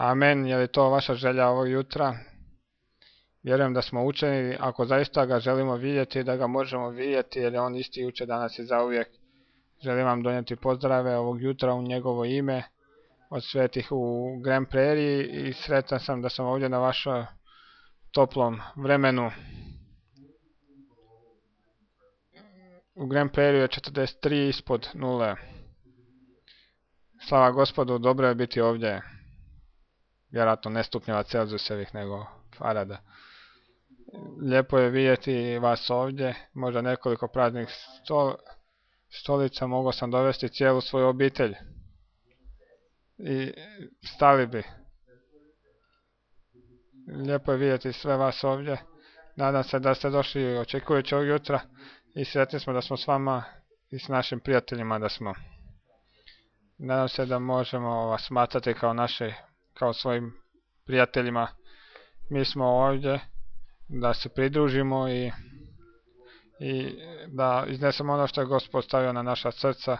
Amen. Je li to vaša želja ovog jutra? Vjerujem da smo učeni, ako zaista ga želimo vidjeti, da ga možemo vidjeti, jer je on isti jučer, danas i zauvijek. Želim vam donijeti pozdrave ovog jutra u njegovo ime od svetih u Grand Prairie i sretan sam da sam ovdje na vašem toplom vremenu. U Grand Prairie je 43 ispod nule. Slava Gospodu, dobro je biti ovdje. Vjerojatno ne stupnjeva Celzijusevih nego farada. Lijepo je vidjeti vas ovdje, možda nekoliko praznih stolica, mogao sam dovesti cijelu svoju obitelj. I stali bi. Lijepo je vidjeti sve vas ovdje. Nadam se da ste došli očekujući ovog jutra i sretni smo da smo s vama i s našim prijateljima da smo. Nadam se da možemo vas smatrati kao svojim prijateljima. Mi smo ovdje da se pridružimo i da iznesemo ono što je Gospod stavio na naša srca.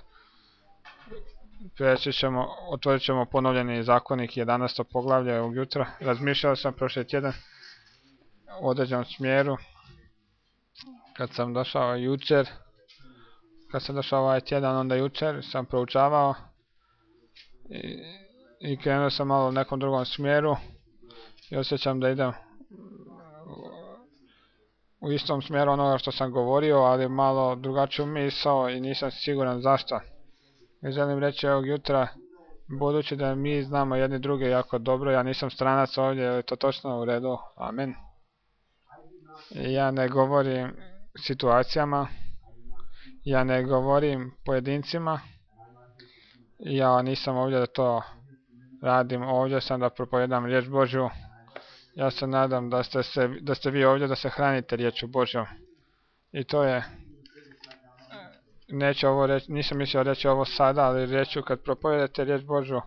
Otvorit ćemo ponovljeni zakonik 11. poglavlje ovog jutra. Razmišljao sam prošli tjedan u određenom smjeru. Kad sam došao ovaj tjedan, onda jučer sam proučavao i krenuo sam malo u nekom drugom smjeru i osjećam da idem u istom smjeru onoga što sam govorio, ali malo drugačiju misao i nisam siguran zašto. I želim reći ovog jutra, budući da mi znamo jedni druge jako dobro, ja nisam stranac ovdje, je li to točno u redu? Amen. I ja ne govorim situacijama, ja ne govorim pojedincima, ja nisam ovdje da to radim, ovdje sam da propovijedam riječ Božju. Ja se nadam da ste vi ovdje da se hranite riječu Božjom. I to je, nisam mislio reći ovo sada, ali reću kad propovijedate riječ Božju,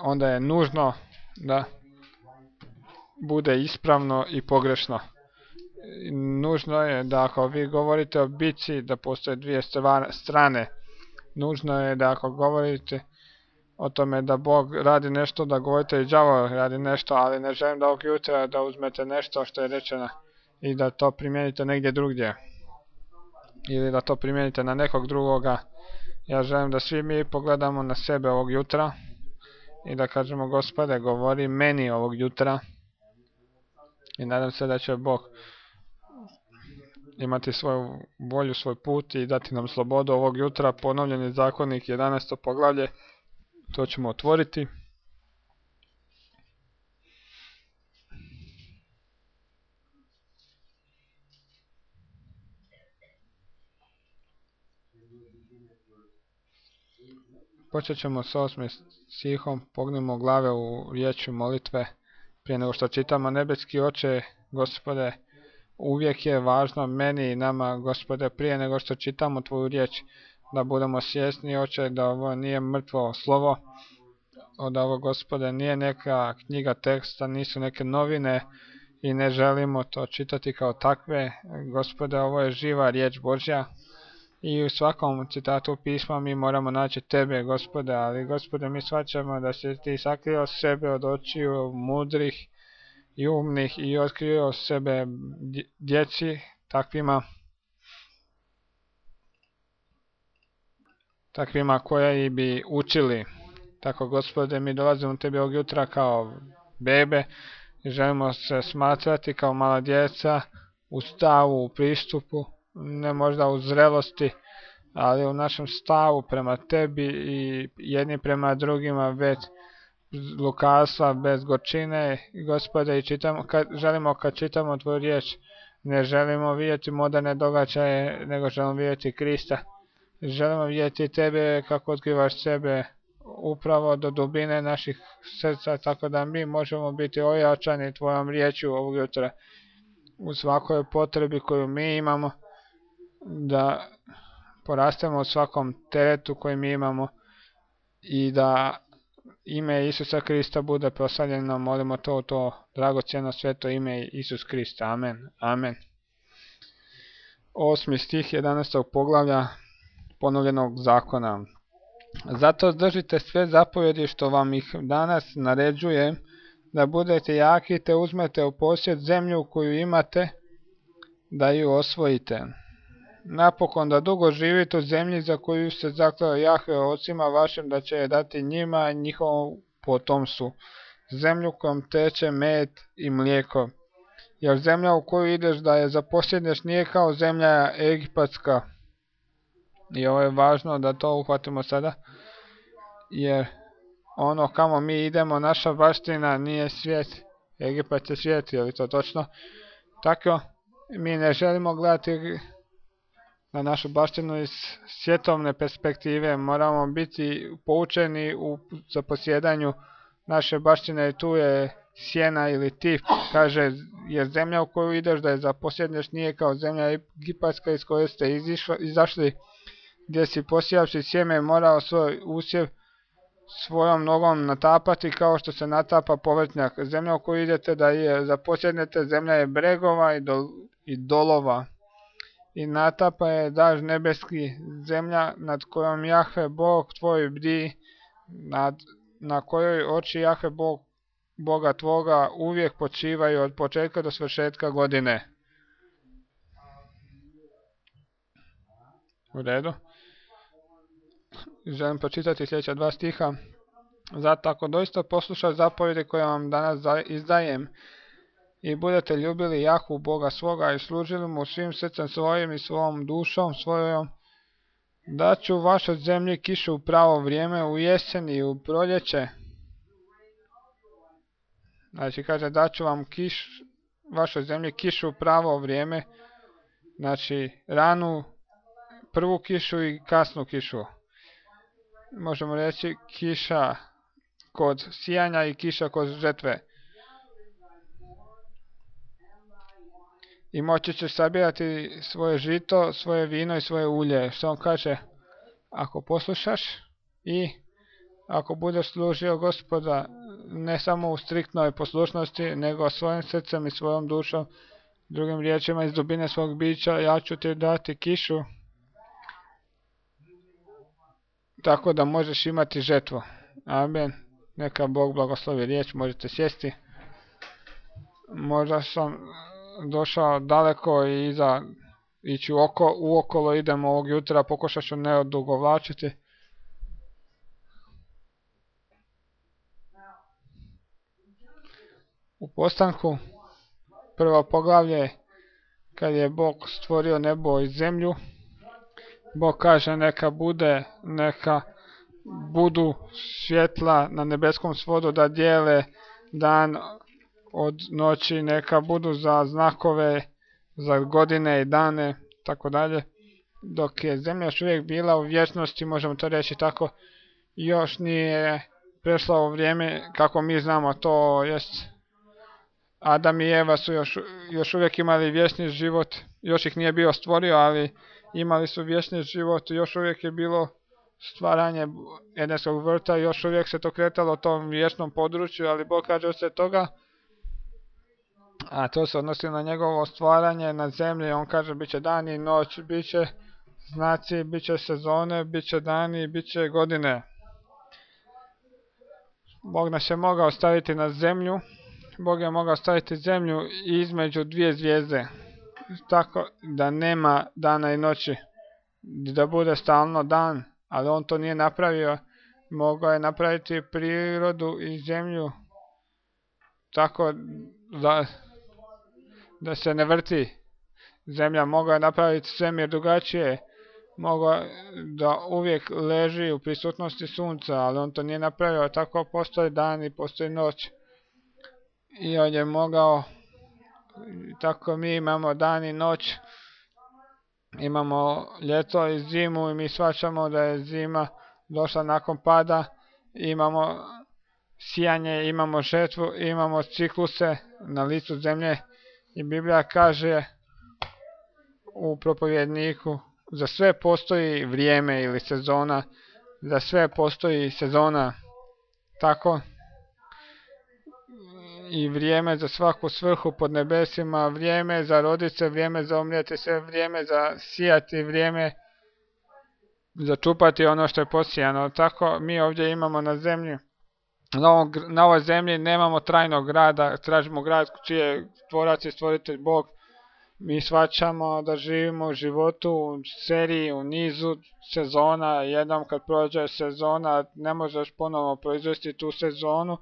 onda je nužno da bude ispravno i pogrešno. Nužno je da ako vi govorite o bici, da postoje dvije strane. Nužno je da ako govorite o tome da Bog radi nešto, da govorite i đavo radi nešto, ali ne želim da ovog jutra da uzmete nešto što je rečeno i da to primijenite negdje drugdje. Ili da to primijenite na nekog drugoga. Ja želim da svi mi pogledamo na sebe ovog jutra i da kažemo, Gospode, govori meni ovog jutra. I nadam se da će Bog imati svoju volju, svoj put i dati nam slobodu ovog jutra. Ponovljeni zakonik 11. poglavlje, to ćemo otvoriti. Počet ćemo s 8. stihom, pognimo glave u riječi molitve. Prije nego što čitamo, nebeski Oče, Gospode, uvijek je važno meni i nama, Gospode, prije nego što čitamo Tvoju riječ, da budemo svjesni, Oče, da ovo nije mrtvo slovo, da ovo, Gospode, nije neka knjiga teksta, nisu neke novine i ne želimo to čitati kao takve. Gospode, ovo je živa riječ Božja i u svakom citatu pisma mi moramo naći Tebe, Gospode, ali, Gospode, mi shvaćamo da si Ti sakrio sebe od očiju mudrih i umnih i otkrio sebe djeci takvima koji bi učili. Tako, Gospode, mi dolazimo Tebi ovog jutra kao bebe i želimo se smatrati kao mala djeca u stavu, u pristupu, ne možda u zrelosti, ali u našem stavu prema Tebi i jedni prema drugima bez lukavstva, bez gorčine. Gospode, i želimo kad čitamo Tvoju riječ, ne želimo vidjeti moderne događaje, nego želimo vidjeti Krista. Želimo vidjeti Tebe kako otkrivaš sebe upravo do dubine naših srca, tako da mi možemo biti ojačani Tvojom riječju ovog jutra u svakoj potrebi koju mi imamo, da porastemo u svakom teretu koji mi imamo i da ime Isusa Krista bude proslavljeno. Molimo to dragocjeno sveto ime Isus Krista. Amen. Amen. 8. stih 11. poglavlja ponovljenog zakona. Zato držite sve zapovjedi što vam ih danas naređujem, da budete jaki te uzmete u posjed zemlju koju imate, da ju osvojite. Napokon da dugo živite u zemlji za koju se zakleo Jahve ocima vašim da će je dati njima i njihovom potomstvu, zemlju kojom teče med i mlijeko. Jer zemlja u koju ideš da je zaposjedneš nije kao zemlja egipatska. I ovo je važno da to uhvatimo sada, jer ono kamo mi idemo, naša baština nije svijet, Egipat je svijet, je li to točno? Tako, mi ne želimo gledati na našu baštinu iz svjetovne perspektive, moramo biti poučeni u zaposjedanju naše baštine, tu je sjena ili tip, kaže, jer zemlja u koju ideš da je zaposjedneš nije kao zemlja egipatska iz koje ste izašli, gdje si posijavši sjeme morao svoj usjev svojom nogom natapati kao što se natapa povrtnjak. Zemlja u koju idete da je zaposjednete, zemlja je bregova i dolova. I natapa je daž nebeski, zemlja nad kojom Jahve Bog tvoj bdi, na kojoj oči Jahve Boga tvoga uvijek počivaju od početka do svršetka godine. U redu. Želim pročitati sljedeća 2 stiha. Zato ako doista poslušate zapovjedi koje vam danas izdajem i budete ljubili Jahvu Boga svoga i služili mu svim srcem svojim i svom dušom svojom, daću vašoj zemlji kišu u pravo vrijeme, u jesen i u proljeće. Znači kaže daću vam vašoj zemlji kišu u pravo vrijeme, znači ranu, prvu kišu i kasnu kišu. Možemo reći kiša kod sijanja i kiša kod žetve. I moći ćeš sabirati svoje žito, svoje vino i svoje ulje. Što on kaže? Ako poslušaš i ako budeš služio Gospoda ne samo u striktnoj poslušnosti, nego svojim srcem i svojom dušom, drugim riječima iz dubine svog bića, ja ću ti dati kišu, tako da možeš imati žetvu. Amen. Neka Bog blagoslovi riječ, možete sjesti. Možda sam došao daleko i ići uokolo idemo ovog jutra, pokušat ću ne odugovlačiti. U Postanku, prvo poglavlje, kad je Bog stvorio nebo i zemlju, Bog kaže neka budu svjetla na nebeskom svodu da dijele dan od noći, neka budu za znakove, za godine i dane, tako dalje. Dok je zemlja još uvijek bila u vječnosti, možemo to reći tako, još nije prešla u vrijeme kako mi znamo, to jest Adam i Eva su još uvijek imali vječni život, još ih nije bio stvorio, ali imali su vječni život, još uvijek je bilo stvaranje Edenskog vrta, još uvijek se to kretalo u tom vječnom području, ali Bog kaže od toga, a to se odnosi na njegovo stvaranje na zemlji, on kaže bit će dan i noć, bit će znaci, bit će sezone, bit će dani, bit će godine. Bog nas je mogao staviti na zemlju, Bog je mogao staviti zemlju između 2 zvijezde, tako da nema dana i noći, da bude stalno dan, ali on to nije napravio. Mogao je napraviti prirodu i zemlju tako da se ne vrti zemlja, mogao je napraviti svemir drugačije, mogao da uvijek leži u prisutnosti sunca, ali on to nije napravio, tako postoji dan i postoji noć. I on je mogao, tako mi imamo dan i noć, imamo ljeto i zimu i mi shvaćamo da je zima došla nakon pada, imamo sijanje, imamo žetvu, imamo cikluse na licu zemlje i Biblija kaže u propovjedniku za sve postoji vrijeme ili sezona, za sve postoji sezona, tako i vrijeme za svaku svrhu pod nebesima, vrijeme za rodit se, vrijeme za umrijeti se, vrijeme za sijati, vrijeme začupati ono što je posijano. Tako mi ovdje imamo na zemlji, na ovoj zemlji nemamo trajnog grada, tražimo grad čiji je tvorac i stvoritelj Bog. Mi shvaćamo da živimo u životu, u seriji, u nizu sezona. Jednom kad prođe sezona ne možeš ponovo proizvesti tu sezonu.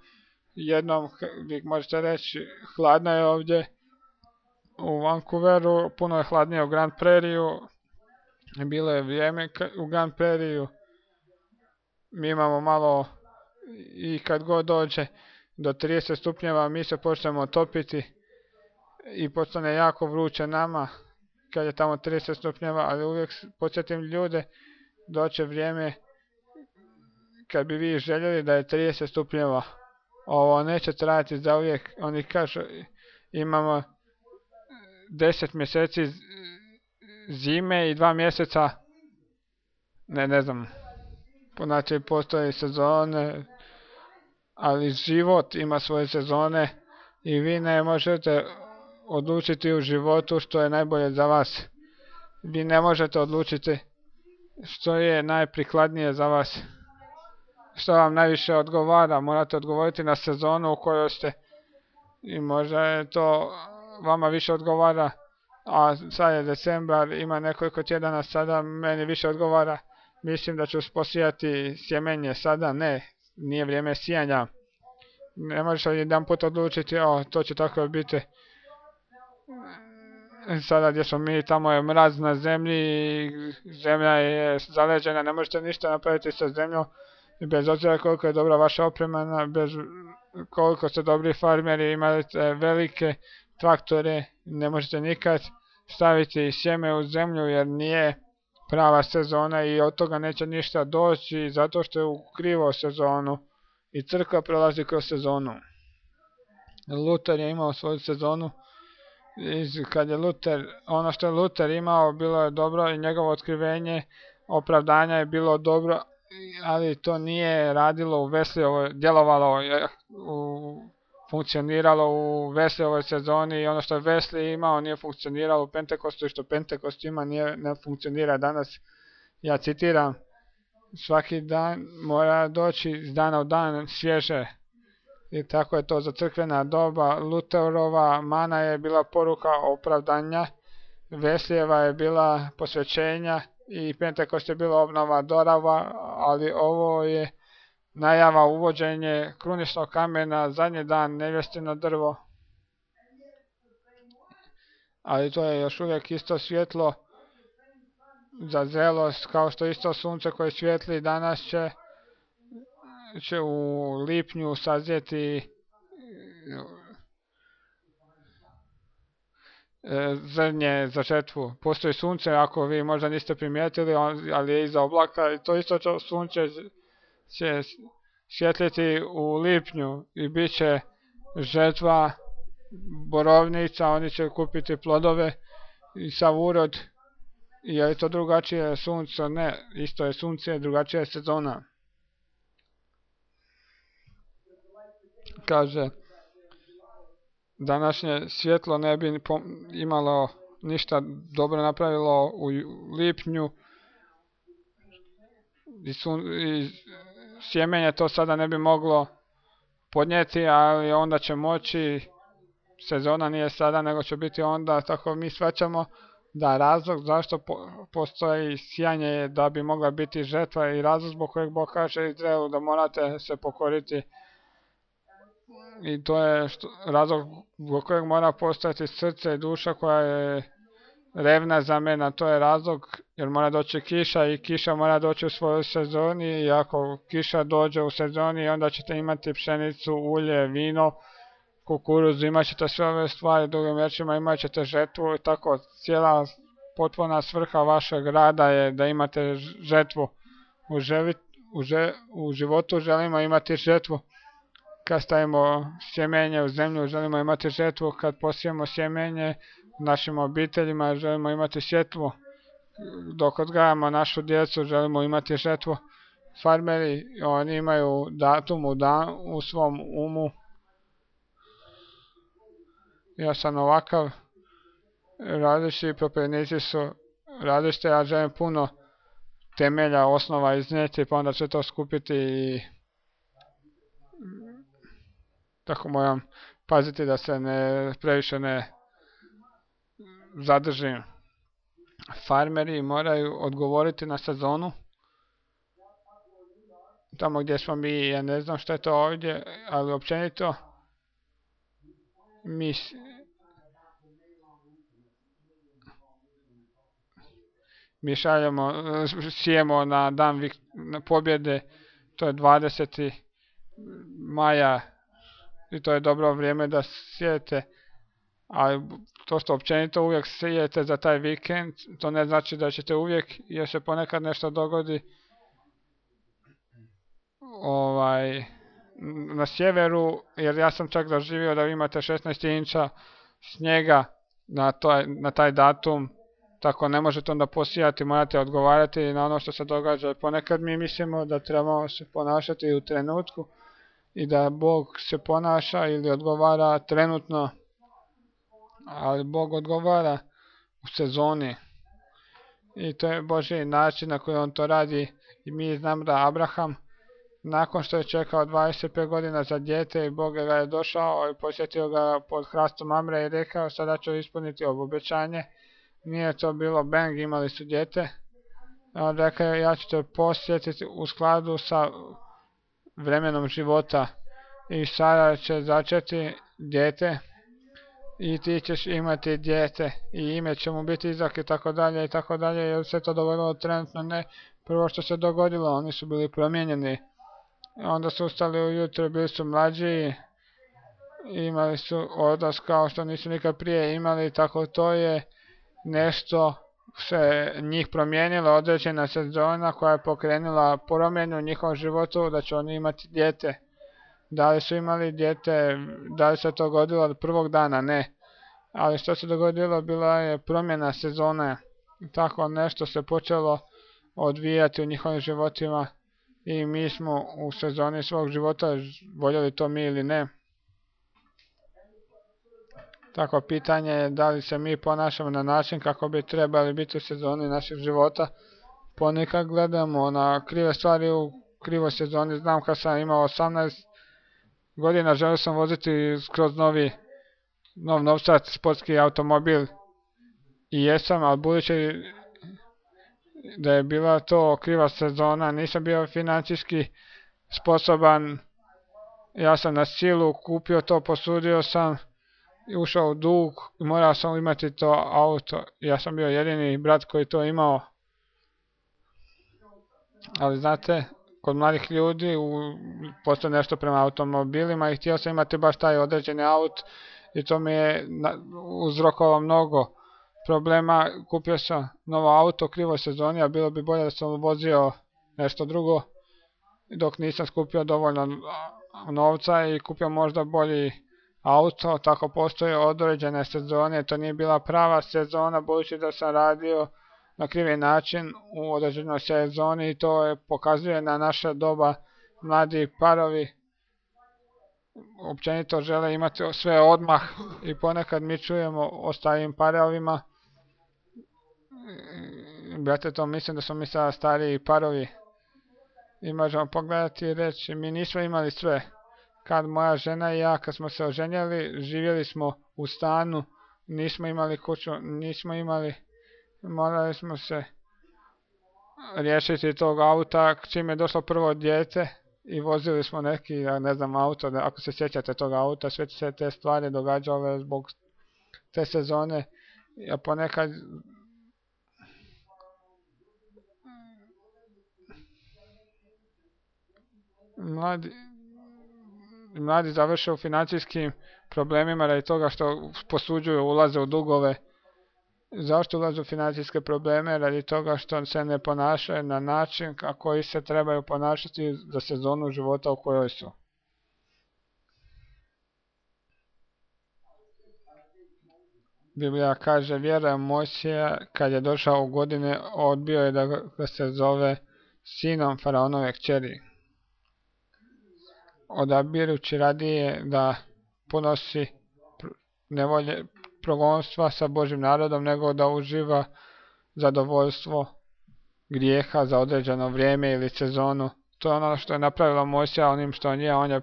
Jednom, vi možete reći, hladno je ovdje u Vancouveru, puno je hladnije u Grand Prairiju. Bilo je vrijeme u Grand Prairiju. Mi imamo malo, i kad god dođe do 30 stupnjeva mi se počnemo topiti i postane jako vruće nama kad je tamo 30 stupnjeva, ali uvijek podsjetim ljude, doće vrijeme kad bi vi željeli da je 30 stupnjeva. Ovo neće trajati za uvijek. Oni kažu imamo 10 mjeseci zime i 2 mjeseca, ne znam, znači postoje sezone, ali život ima svoje sezone i vi ne možete odlučiti u životu što je najbolje za vas. Vi ne možete odlučiti što je najprikladnije za vas, što vam najviše odgovara. Morate odgovoriti na sezonu u kojoj ste i možda je to vama više odgovara, a sad je decembar, ima nekoliko tjedana sada, meni više odgovara. Mislim da ću posijati sjemenje sada, nije vrijeme sijanja. Ne možeš jedan put odlučiti, to će tako biti. Sada gdje smo mi, tamo je mraz na zemlji, zemlja je zaleđena, ne možete ništa napraviti sa zemljom, bez obzira koliko je dobra vaša oprema, bez koliko ste dobri farmeri, imate velike traktore, ne možete nikad staviti sjeme u zemlju jer nije prava sezona i od toga neće ništa doći zato što je u krivo sezonu i crkva prolazi kroz sezonu. Luther je imao svoju sezonu. Kad je ono što je Luther imao bilo je dobro i njegovo otkrivenje opravdanja je bilo dobro, ali to nije radilo u Wesleyovoj, djelovalo, funkcioniralo u Wesleyovoj sezoni i ono što je Wesley imao nije funkcioniralo u Pentekostu i što Pentekost ima ne funkcionira danas. Ja citiram, svaki dan mora doći iz dana u dan svježe. I tako je to za crkvena doba. Lutherova mana je bila poruka opravdanja, Wesleyeva je bila posvećenja i Pentekost je bila obnova dorava, ali ovo je najava uvođenje kruničnog kamena, zadnji dan nevjestino drvo. Ali to je još uvijek isto svjetlo za zrelost, kao što isto sunce koje svijetli danas će u lipnju sazrijeti zrnje za žetvu. Postoji sunce, ako vi možda niste primijetili, ali je iza oblaka i to isto sunce će svjetliti u lipnju i bit će žetva borovnica, oni će kupiti plodove i sav urod. Je li to drugačije sunce? Ne, isto je sunce, drugačija je sezona. Kaže, današnje svjetlo ne bi imalo ništa dobro napravilo u lipnju i sjemenje to sada ne bi moglo podnijeti, ali onda će moći, sezona nije sada nego će biti onda, tako mi shvaćamo da razlog zašto postoji sijanje je da bi mogla biti žetva i razlog zbog kojeg Bog kaže Izraelu da morate se pokoriti. I to je razlog zbog kojeg mora postojati srce i duša koja je revna za mene, to je razlog jer mora doći kiša i kiša mora doći u svojoj sezoni i ako kiša dođe u sezoni onda ćete imati pšenicu, ulje, vino, kukuruz, imat ćete sve ove stvari, drugim riječima imat ćete žetvu i tako cijela potpuna svrha vašeg rada je da imate žetvu. U životu želimo imati žetvu. Kad stavimo sjemenje u zemlju želimo imati žetvu, kad posijemo sjemenje u našim obiteljima želimo imati žetvu, dok odgajamo našu djecu želimo imati žetvu. Farmeri, oni imaju datum u svom umu. Ja sam ovakav, različiti propovjednici su različite, ja želim temelja, osnova iznijeti, pa onda će to skupiti i tako moram paziti da se previše ne zadržim. Farmeri moraju odgovoriti na sezonu. Tamo gdje smo mi, ja ne znam što je to ovdje, ali općenito mi sijemo na dan pobjede, to je 20. maja i to je dobro vrijeme da sijete, ali to što općenito uvijek sijete za taj vikend, to ne znači da ćete uvijek, jer se ponekad nešto dogodi na sjeveru, jer ja sam čak doživio da vi imate 16 inča snijega na taj datum, tako ne možete onda posijati, morate odgovarati na ono što se događa. Ponekad mi mislimo da trebamo se ponašati u trenutku i da Bog se ponaša ili odgovara trenutno, ali Bog odgovara u sezoni. I to je Božji način na koji on to radi. I mi znamo da Abraham, nakon što je čekao 25 godina za dijete, i Bog ga je došao i posjetio ga pod hrastom Mamre i rekao sada ću ispuniti obećanje. Nije to bilo bang, imali su dijete. On rekao ja ću te posjetiti u skladu sa vremenom života i Sara će začeti dijete i ti ćeš imati dijete i ime će mu biti Izak i tako dalje i tako dalje. Jer se to dogodilo trenutno? Ne. Prvo što se dogodilo, oni su bili promijenjeni. Onda su ustali ujutro, bili su mlađi, imali su odnos kao što nisu nikad prije imali, tako to je nešto se njih promijenilo, određena sezona koja je pokrenula promjenu u njihovom životu, da će oni imati dijete. Da li su imali dijete, da li se to dogodilo od prvog dana? Ne. Ali što se dogodilo, bila je promjena sezone. Tako nešto se počelo odvijati u njihovim životima i mi smo u sezoni svog života, voljeli to mi ili ne. Tako pitanje je da li se mi ponašamo na način kako bi trebali biti u sezoni naših života. Ponekad gledamo na krive stvari u krivoj sezoni. Znam kad sam imao 18 godina, želio sam voziti skroz nov novčat sportski automobil i jesam, ali budući da je bila to kriva sezona, nisam bio financijski sposoban, ja sam na silu kupio to, posudio sam, ušao u dug i morao sam imati to auto. Ja sam bio jedini brat koji to imao. Ali znate, kod mladih ljudi postoji nešto prema automobilima i htio sam imati baš taj određeni auto i to mi je uzrokovalo mnogo problema. Kupio sam novo auto u krivoj sezoni, a bilo bi bolje da sam vozio nešto drugo dok nisam skupio dovoljno novca i kupio možda bolji auto. Tako postoje određene sezone, to nije bila prava sezona budući da sam radio na krivi način u određenoj sezoni i to pokazuje na naše doba. Mladi parovi općenito žele imati sve odmah i ponekad mi čujemo o starijim parovima. Brate, to mislim da smo mi sada stariji parovi i možemo pogledati i reći mi nismo imali sve. Kad moja žena i ja, kad smo se oženjeli, živjeli smo u stanu, nismo imali kuću, morali smo se riješiti tog auta čim je došlo prvo dijete i vozili smo neki, ne znam, auto, ako se sjećate tog auta, sve se te stvari događale zbog te sezone. Ja ponekad mladi završe u financijskim problemima radi toga što posuđuju, ulaze u dugove. Zašto ulaze u financijske probleme? Radi toga što se ne ponašaju na način kako se trebaju ponašati za sezonu života u kojoj su. Biblija kaže, vjera Mojsija kad je došao u godine odbio je da ga se zove sinom faraonove kćeri, odabirući radije da ponosi nevolje progonstva sa Božim narodom nego da uživa zadovoljstvo grijeha za određeno vrijeme ili sezonu. To je ono što je napravilo Mojsija onim što on je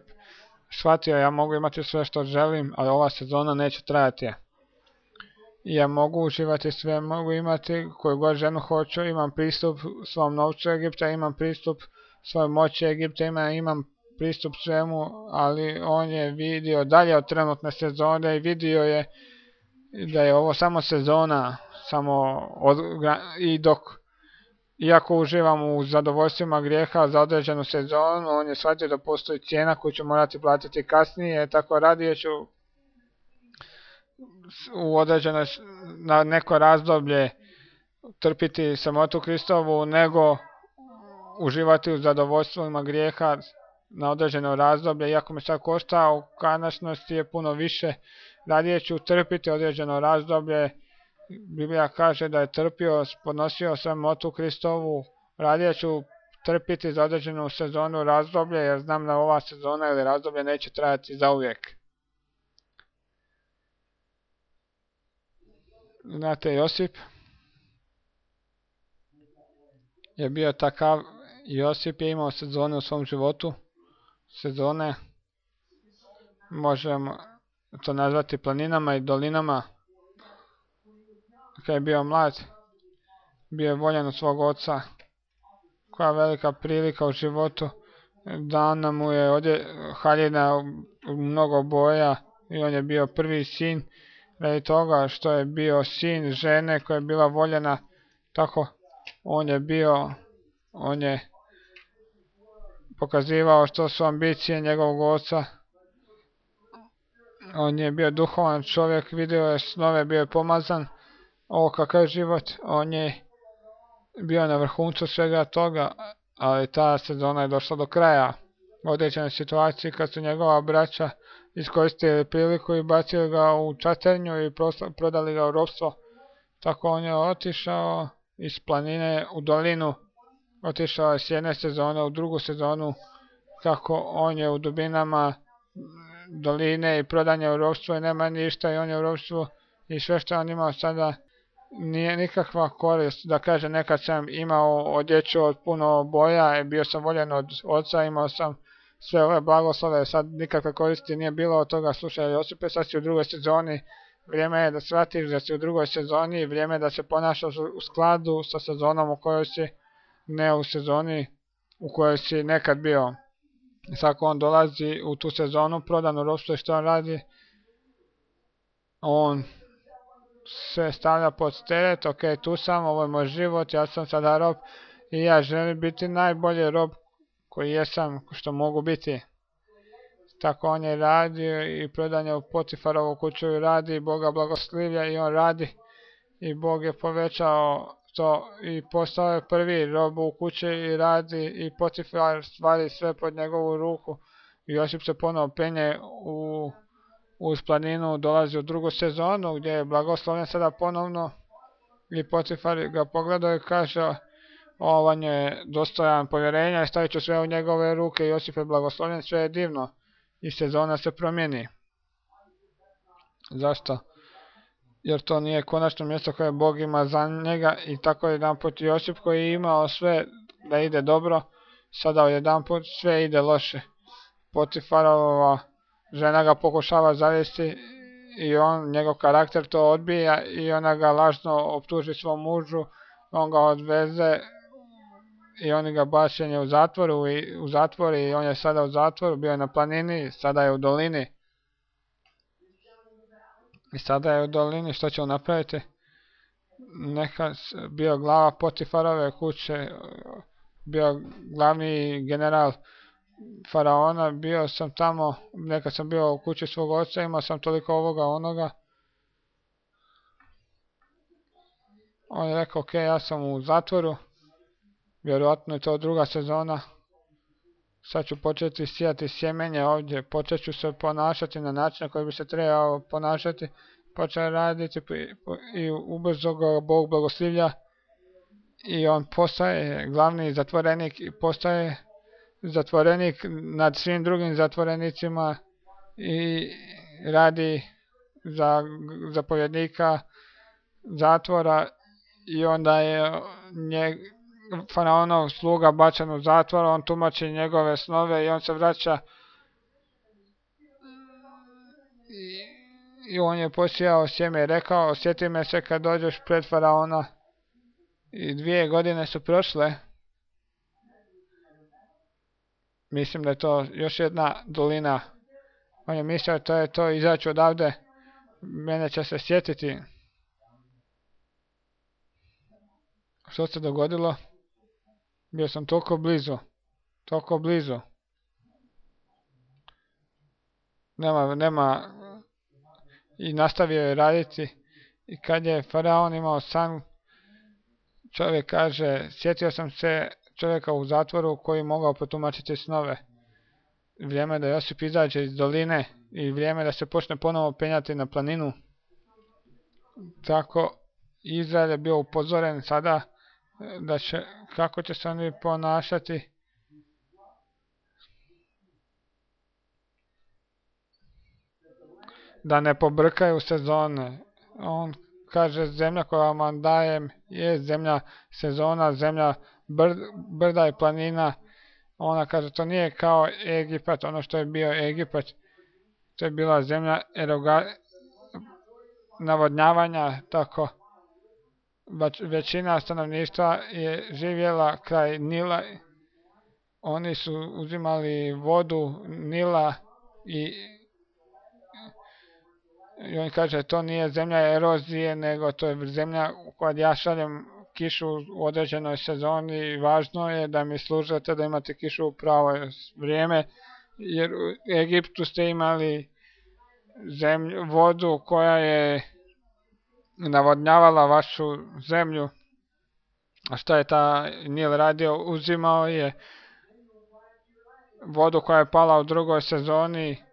shvatio, ja mogu imati sve što želim, ali ova sezona neće trajati. Ja mogu uživati sve, mogu imati koju god ženu hoću, imam pristup svom novcu Egipta, imam pristup svojoj moći Egipta, imam pristup svemu, ali on je vidio dalje od trenutne sezone i vidio je da je ovo samo sezona, iako uživam u zadovoljstvima grijeha za određenu sezonu, on je shvatio da postoji cijena koju ću morati platiti kasnije, tako radije ću na neko razdoblje trpiti samotu Kristovu, nego uživati u zadovoljstvima grijeha na određeno razdoblje, iako me sad košta, u konačnosti je puno više, radije ću trpiti određeno razdoblje. Biblija kaže da je trpio, podnosio samotu Kristovu, radije ću trpiti za određenu sezonu razdoblje, jer znam da ova sezona ili razdoblje neće trajati zauvijek. Znate, Josip je bio takav, Josip je imao sezone u svom životu, sezone, možemo to nazvati planinama i dolinama. Kad je bio mlad, bio je voljan od svog oca, koja velika prilika u životu, dana mu je haljina u mnogo boja i on je bio prvi sin, radi toga što je bio sin žene koja je bila voljena, tako on je pokazivao što su ambicije njegovog oca. On je bio duhovan čovjek, vidio je snove, bio je pomazan. Ovo kakav život, on je bio na vrhuncu svega toga, ali ta sezona je došla do kraja. U određenoj situaciji kad su njegova braća iskoristili priliku i bacili ga u čaternju i prodali ga u ropstvo. Tako on je otišao iz planine u dolinu, otišao je s jedne sezone u drugu sezonu, kako on je u dubinama doline i prodan je u ropstvo i nema ništa i on je u ropstvu i sve što on imao sada nije nikakva korist. Da kaže, nekad sam imao odjeću od puno boja, bio sam voljen od oca, imao sam sve ove blagoslove, sad nikakve koristi nije bilo od toga. Slušaj Josipe, sad si u drugoj sezoni, vrijeme je da shvatiš da si u drugoj sezoni, vrijeme je da se ponašaš u skladu sa sezonom u kojoj si, ne u sezoni u kojoj si nekad bio. Sad on dolazi u tu sezonu, prodan u ropstvo, i što on radi? On se stavlja pod teret, ok, tu sam, ovo je moj život, ja sam sada rob i ja želim biti najbolji rob koji jesam, što mogu biti. Tako on je radio i prodan je u Potifarovu kuću i radi, Boga blagoslivlja i on radi i Bog je povećao to i postao je prvi rob u kući i radi i Potifar stvari sve pod njegovu ruku. I Josip se ponovo penje uz planinu, dolazi u drugu sezonu gdje je blagoslovljen sada ponovno i Potifar ga pogledao i kaže, on je dostojan povjerenja i stavit ću sve u njegove ruke. Josip je blagoslovljen, sve je divno i sezona se promijeni. Zašto? Jer to nije konačno mjesto koje Bog ima za njega i tako jedanput Josip koji je imao sve da ide dobro, sada jedanput sve ide loše. Potifarova žena ga pokušava zavesti i njegov karakter to odbija i ona ga lažno optuži svom mužu, on ga odveze i oni ga bačenje u zatvor i on je sada u zatvoru, bio je na planini, sada je u dolini. I sada je u dolini, što će on napraviti? Bio glava Potifarove kuće, bio glavni general faraona, bio sam tamo, nekad sam bio u kući svog oca, imao sam toliko ovoga, onoga. On je rekao, ok, ja sam u zatvoru, vjerojatno je to druga sezona, sad ću početi sijati sjemenje ovdje, počet ću se ponašati na način na koji bi se trebao ponašati, počeo raditi i ubrzo ga Bog blagoslivlja i on postaje glavni zatvorenik i postaje zatvorenik nad svim drugim zatvorenicima i radi za zapovjednika zatvora i onda je faraonov sluga bačen u zatvor, on tumači njegove snove i on se vraća i on je posijao sjeme i rekao, sjeti me se kad dođeš pred faraona. I 2 godine su prošle. Mislim da je to još jedna dolina. On je mislio to je to, izaći odavde, mene će se sjetiti. Što se dogodilo? Bio sam toliko blizu. Nema, i nastavio je raditi. I kad je faraon imao san, čovjek kaže, sjetio sam se čovjeka u zatvoru koji mogao protumačiti snove. Vrijeme da Josip izađe iz doline i vrijeme da se počne ponovo penjati na planinu. Tako Izrael je bio upozoren sada kako će se oni ponašati. Da ne pobrkaju sezone. On kaže, zemlja koju vam dajem je zemlja sezona, zemlja brda i planina. Ona kaže, to nije kao Egipat, ono što je bio Egipat. To je bila zemlja navodnjavanja, tako. Većina stanovništva je živjela kraj Nila. Oni su uzimali vodu Nila i on kaže, to nije zemlja erozije, nego to je zemlja u kojoj ja šaljem kišu u određenoj sezoni i važno je da mi služite da imate kišu u pravo vrijeme, jer u Egiptu ste imali vodu koja je navodnjavala vašu zemlju. A šta je ta Nil radio? Uzimao je vodu koja je pala u drugoj sezoni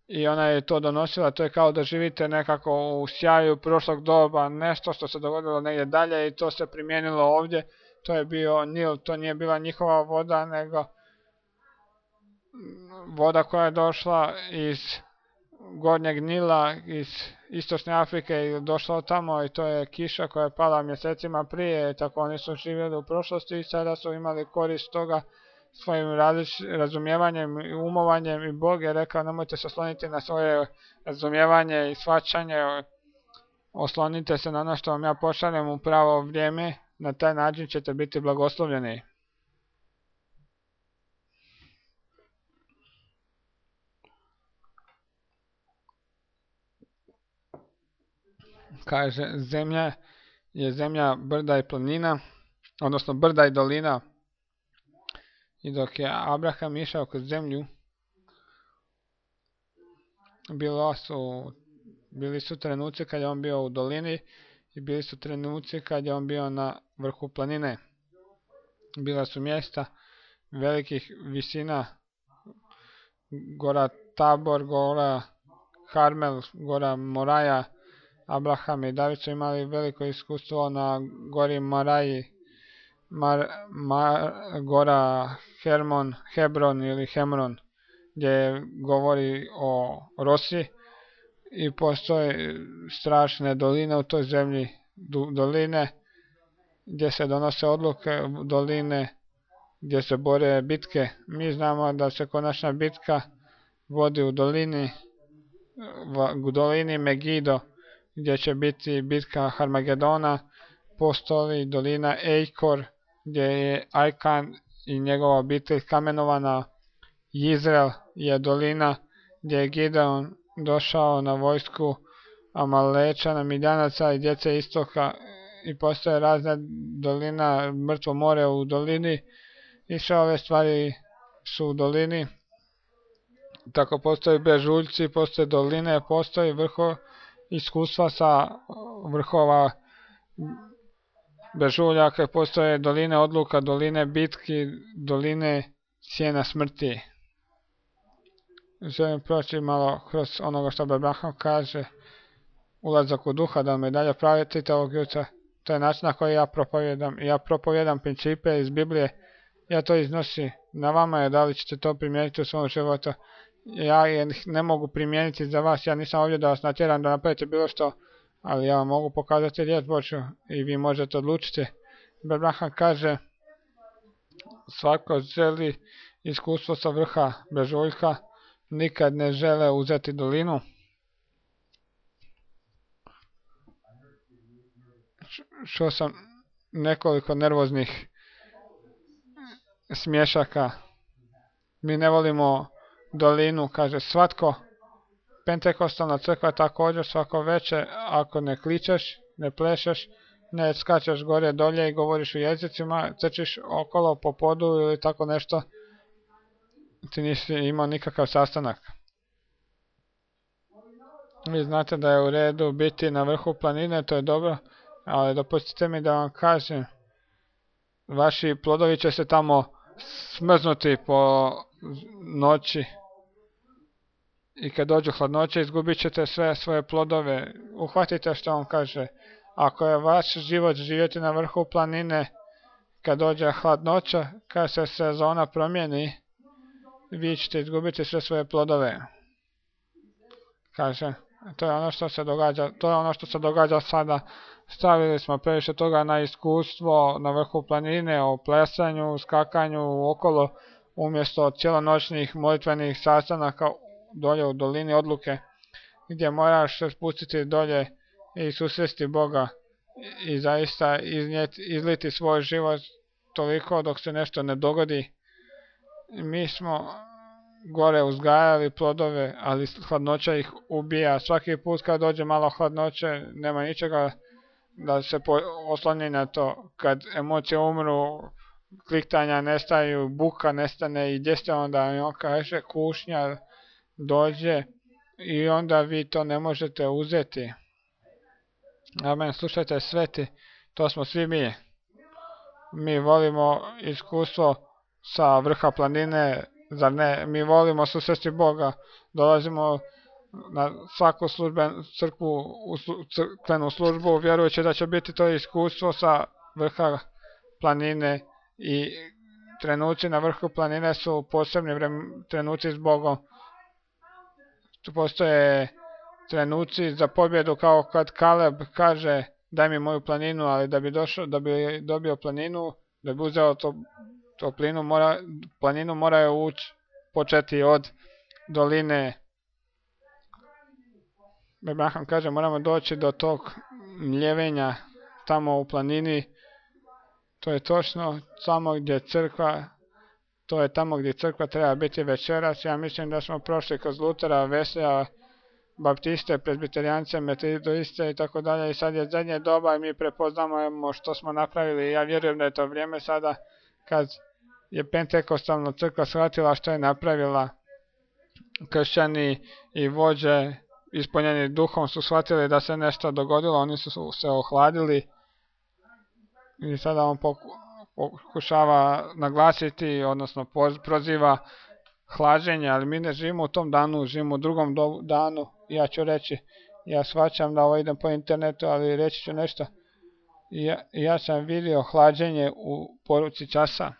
i ona je to donosila. To je kao da živite nekako u sjaju prošlog doba, nešto što se dogodilo negdje dalje i to se primijenilo ovdje. To je bio Nil, to nije bila njihova voda, nego voda koja je došla iz Gornjeg Nila, iz Istočne Afrike i došla tamo i to je kiša koja je pala mjesecima prije, tako oni su živjeli u prošlosti i sada su imali korist toga svojim razumijevanjem i umovanjem i Bog je rekao nemojte se osloniti na svoje razumijevanje i shvaćanje, oslonite se na ono što vam ja pošaljem u pravo vrijeme, na taj način ćete biti blagoslovljeni. Kaže, zemlja je zemlja brda i planina, odnosno brda i dolina. I dok je Abraham išao kroz zemlju, bili su trenuci kad je on bio u dolini i bili su trenuci kad je on bio na vrhu planine. Bila su mjesta velikih visina, gora Tabor, gora Karmel, gora Moraja. Abraham i David su imali veliko iskustvo na gori Moraji, gora Hebron ili Hemron, gdje govori o Rosi i postoje strašne doline u toj zemlji, doline gdje se donose odluke, doline gdje se bore bitke. Mi znamo da se konačna bitka vodi u dolini Megido, gdje će biti bitka Harmagedona. Postoji dolina Ejkor, gdje je Ajkan i njegova obitelj kamenovana. Izrael je dolina gdje je Gideon došao na vojsku Amalečana, Midjanaca i djece istoka i postoje razne dolina, mrtvo more u dolini i sve ove stvari su u dolini. Tako postoje bežuljci, postoje doline, postoji iskustva sa vrhova bežuljaka, postoje doline odluka, doline bitki, doline sjena smrti. Želim proći malo kroz onoga što Abraham kaže, ulazak u duha, da me dalje pratite ovog jutra. To je način na koji ja propovijedam. Ja propovijedam principe iz Biblije, ja to iznosim. Na vama je da li ćete to primijeniti u svom životu. Ja ne mogu primijeniti za vas, ja nisam ovdje da vas natjeram da napravite bilo što, ali ja vam mogu pokazati riječ Božju i vi možete odlučiti. Abraham kaže, svako želi iskustvo sa vrha brežuljka, nikad ne žele uzeti dolinu. Čuo sam nekoliko nervoznih smješaka. Mi ne volimo dolinu, kaže svatko. Pentekostalna crkva također svako veče, ako ne kličeš, ne plešeš, ne skačeš gore dolje i govoriš u jezicima, crčiš okolo po podu ili tako nešto, ti nisi imao nikakav sastanak. Vi znate da je u redu biti na vrhu planine, to je dobro, ali dopustite mi da vam kažem, vaši plodovi će se tamo smrznuti po noći i kad dođu hladnoće izgubit ćete sve svoje plodove. Uhvatite što on kaže. Ako je vaš život živjeti na vrhu planine, kad dođe hladnoća, kad se sezona promijeni, vi ćete izgubiti sve svoje plodove. Kaže, to je ono što se događa sada. Stavili smo previše toga na iskustvo na vrhu planine, o plesanju, skakanju okolo, umjesto cijelonoćnih molitvenih sastanaka dolje u dolini odluke, gdje moraš se spustiti dolje i susresti Boga i zaista izliti svoj život toliko dok se nešto ne dogodi. Mi smo gore uzgajali plodove, ali hladnoća ih ubija. Svaki put kad dođe malo hladnoće, nema ničega da se osloni na to. Kad emocije umru, kliktanja nestaju, buka nestane i gdje ste onda? I on kaže, kušnja dođe i onda vi to ne možete uzeti. Amen, slušajte sveti, to smo svi mi. Mi volimo iskustvo sa vrha planine, zar ne? Mi volimo susresti Boga, dolazimo na svaku crkvenu službu, vjerujući da će biti to iskustvo sa vrha planine i trenuci na vrhu planine su posebni trenuci s Bogom. Tu postoje trenuci za pobjedu kao kad Kaleb kaže daj mi moju planinu, ali da bi dobio planinu, da bi uzeo planinu mora je početi od doline. Abraham kaže moramo doći do tog mljevenja tamo u planini. To je točno samo gdje crkva, to je tamo gdje crkva treba biti večeras. Ja mislim da smo prošli kroz Lutera, Veslija, Baptiste, Presbiterijance, Metodiste i tako dalje. I sad je zadnje doba i mi prepoznamo što smo napravili. Ja vjerujem da je to vrijeme sada kad je Pentekostalna crkva shvatila što je napravila. Kršćani i vođe ispunjeni duhom su shvatili da se nešto dogodilo, oni su se ohladili i sada on pokušava naglasiti, odnosno proziva hlađenje, ali mi ne živimo u tom danu, živimo u drugom danu. Ja ću reći, ja shvaćam da ovo idem po internetu, ali reći ću nešto. Ja sam vidio hlađenje u poruci časa.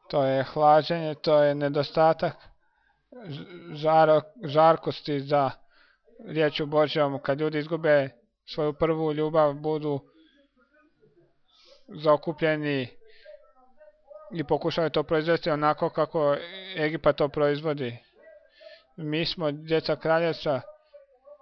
To je hlađenje, to je nedostatak žarkosti za riječu Božjom. Kad ljudi izgube svoju prvu ljubav, budu zaokupljeni i pokušaju to proizvesti onako kako Egipat to proizvodi. Mi smo djeca kraljevstva,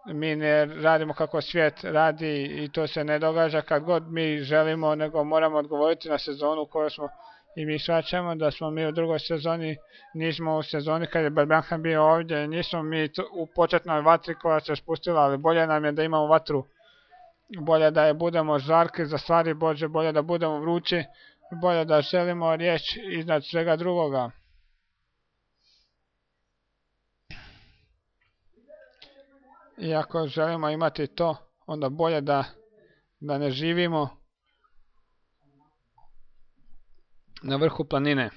mi ne radimo kako svijet radi i to se ne događa kad god mi želimo, nego moramo odgovoriti na sezonu u kojoj smo. I mi shvaćamo da smo mi u drugoj sezoni, nismo u sezoni kad je Abraham bio ovdje, nismo mi u početnoj vatri koja se spustila, ali bolje nam je da imamo vatru, bolje da je budemo žarki za stvari Bože, bolje da budemo vrući, bolje da želimo riječ iznad svega drugoga. I ako želimo imati to, onda bolje da ne živimo na vrhu planine.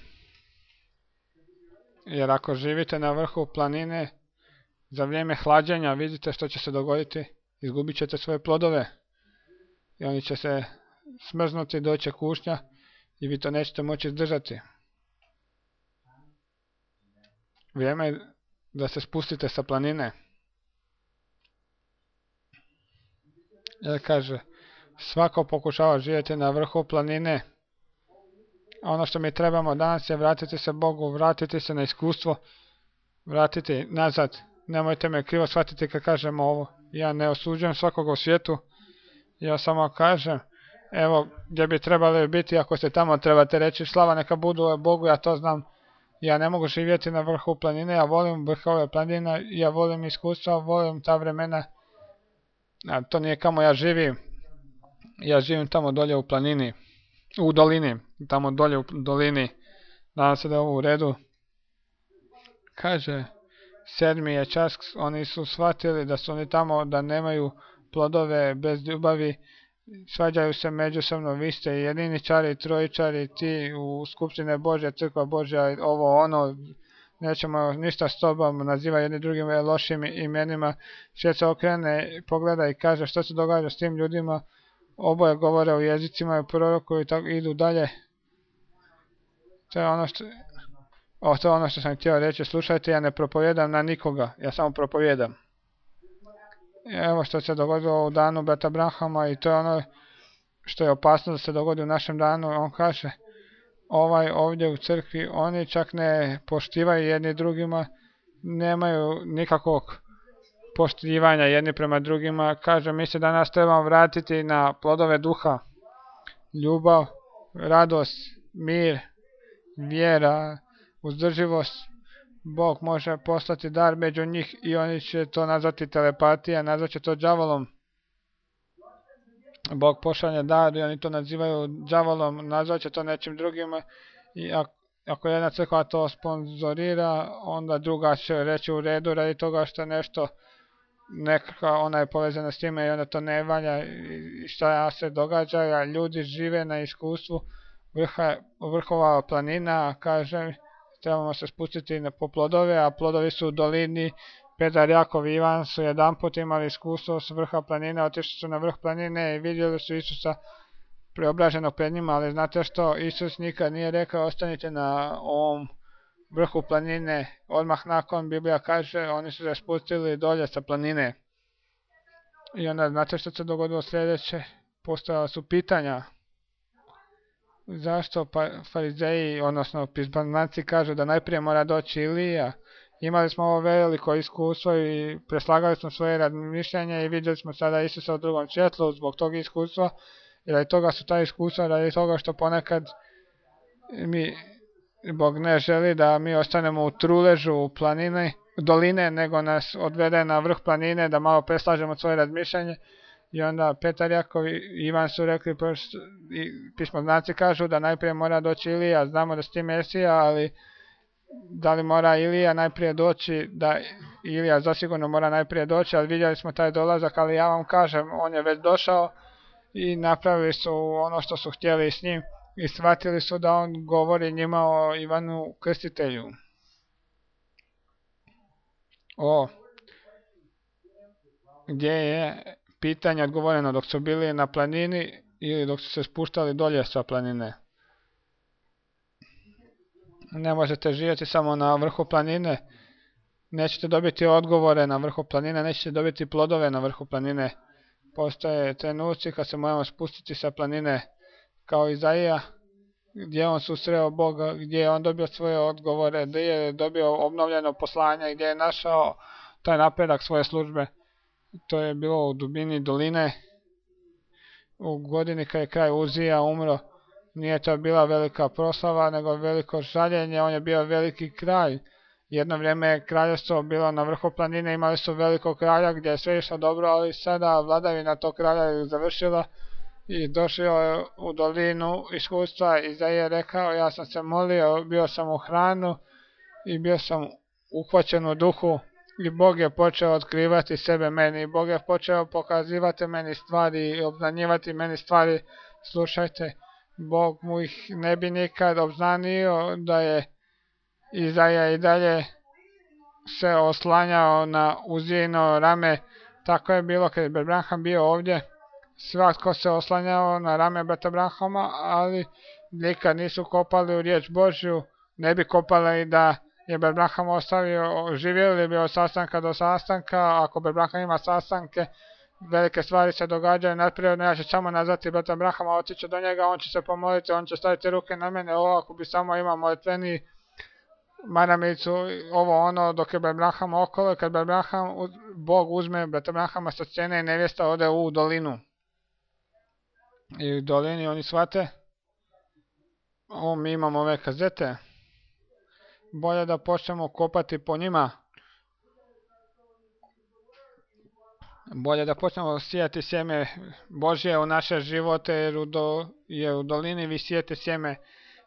Jer ako živite na vrhu planine, za vrijeme hlađenja vidite što će se dogoditi, izgubit ćete svoje plodove i oni će se smrznuti, doće kušnja i vi to nećete moći izdržati. Vrijeme je da se spustite sa planine. Jer kaže, svako pokušava živjeti na vrhu planine, Ono što mi trebamo danas je vratiti se Bogu, vratiti se na iskustvo, vratiti nazad. Nemojte me krivo shvatiti kad kažem ovo. Ja ne osuđujem svakoga u svijetu. Ja samo kažem, evo gdje bi trebali biti, ako ste tamo trebate reći slava neka budu Bogu, ja to znam. Ja ne mogu živjeti na vrhu planine, ja volim vrhove planina, ja volim iskustva, volim ta vremena. A to nije kamo ja živim. Ja živim tamo dolje u planini, u dolini, tamo dolje u dolini. Nadam se da je ovo u redu. Kaže, 7. je čas, oni su shvatili da su oni tamo, da nemaju plodove bez ljubavi, svađaju se međusobno, vi ste jediničari, trojičari, ti u Skupštine Božja, Crkva Božja, ovo ono, nećemo ništa s tobom, naziva jedni drugim lošim imenima, svijet se okrene, pogleda i kaže što se događa s tim ljudima, oboje govore u jezicima i prorokuju i tako idu dalje. To je ono što sam htio reći, slušajte, ja ne propovijedam na nikoga, ja samo propovijedam. Evo što se dogodilo u danu brata Branhama i to je ono što je opasno da se dogodi u našem danu. On kaže, ovdje u crkvi, oni čak ne poštivaju jedni drugima, nemaju nikakvog poštivanja jedni prema drugima. Kaže, mi se danas trebamo vratiti na plodove duha, ljubav, radost, mir, vjera, uzdrživost. Bog može poslati dar među njih i oni će to nazvati telepatija, nazvat će to đavolom. Bog pošalje dar i oni to nazivaju đavolom, nazvat će to nečim drugim i ako jedna crkva to sponzorira, onda druga će reći u redu radi toga što nešto nekako ona je povezana s time i onda to ne valja i šta se događa, a ljudi žive na iskustvu vrhova planina, kažem, trebamo se spustiti po plodove, a plodovi su u dolini. Petar, Jakov i Ivan su jedanput imali iskustvo s vrha planine, otišli su na vrh planine i vidjeli su Isusa preobraženog pred njima, ali znate što, Isus nikad nije rekao ostanite na ovom vrhu planine, odmah nakon Biblija kaže oni su se spustili dolje sa planine. I onda znate što se dogodilo sljedeće, postojala su pitanja. Zašto farizeji, odnosno pisbanci kažu da najprije mora doći Ilija? Imali smo ovo veliko iskustvo i preslagali smo svoje razmišljanje i vidjeli smo sada Isusa u drugom svjetlu zbog tog iskustva. I radi toga su ta iskustva, radi toga što ponekad Bog ne želi da mi ostanemo u truležu u doline, nego nas odvede na vrh planine da malo preslažemo svoje razmišljanje. I onda Petar, Jakov i Ivan su rekli, pismoznanci kažu da najprije mora doći Ilija, znamo da si ti Mesija, ali da li mora Ilija najprije doći, da Ilija zasigurno mora najprije doći, ali vidjeli smo taj dolazak, ali ja vam kažem, on je već došao i napravili su ono što su htjeli s njim i shvatili su da on govori njima o Ivanu Krstitelju. Gdje je pitanje odgovoreno dok su bili na planini ili dok su se spuštali dolje sa planine. Ne možete živjeti samo na vrhu planine, nećete dobiti odgovore na vrhu planine, nećete dobiti plodove na vrhu planine. Postoje trenuci kad se moramo spustiti sa planine kao Izaija, gdje on susreo Boga, gdje je on dobio svoje odgovore, gdje je dobio obnovljeno poslanje, gdje je našao taj napredak svoje službe. To je bilo u dubini doline, u godini kad je kralj Uzija umro. Nije to bila velika proslava, nego veliko žaljenje, on je bio veliki kralj. Jedno vrijeme je kraljevstvo bilo na vrhu planine, imali su velikog kralja gdje je sve išlo dobro, ali sada vladavina tog kralja je završila i došao je u dolinu iskustva. Izaija je rekao, ja sam se molio, bio sam u hranu i bio sam uhvaćen u duhu. I Bog je počeo otkrivati sebe meni, Bog je počeo pokazivati meni stvari i obznanjivati meni stvari. Slušajte, Bog mu ih ne bi nikad obznanio da je Izaija i dalje se oslanjao na Uzijino rame. Tako je bilo kad je brat Branham bio ovdje. Svatko se oslanjao na rame brata Branhama, ali nikad nisu kopali u riječ Božju. Ne bi kopali da je brat Branham ostavio, živjeli bi od sastanka do sastanka. Ako brat Branham ima sastanke, velike stvari se događaju nadprirodno, ja ću samo nazvati brata Brahama, otići do njega, on će se pomoliti, on će staviti ruke na mene, ako bi samo imao molitveni maramicu, ovo ono, dok je brat Braham okolo, kad brat Braham, Bog uzme brata Brahama sa scene i nevjesta ode u dolinu. I u dolini oni shvate, mi imamo ove kazete, bolje da počnemo kopati po njima, bolje da počnemo sijati sjeme Božje u naše živote, jer u dolini vi sijete sjeme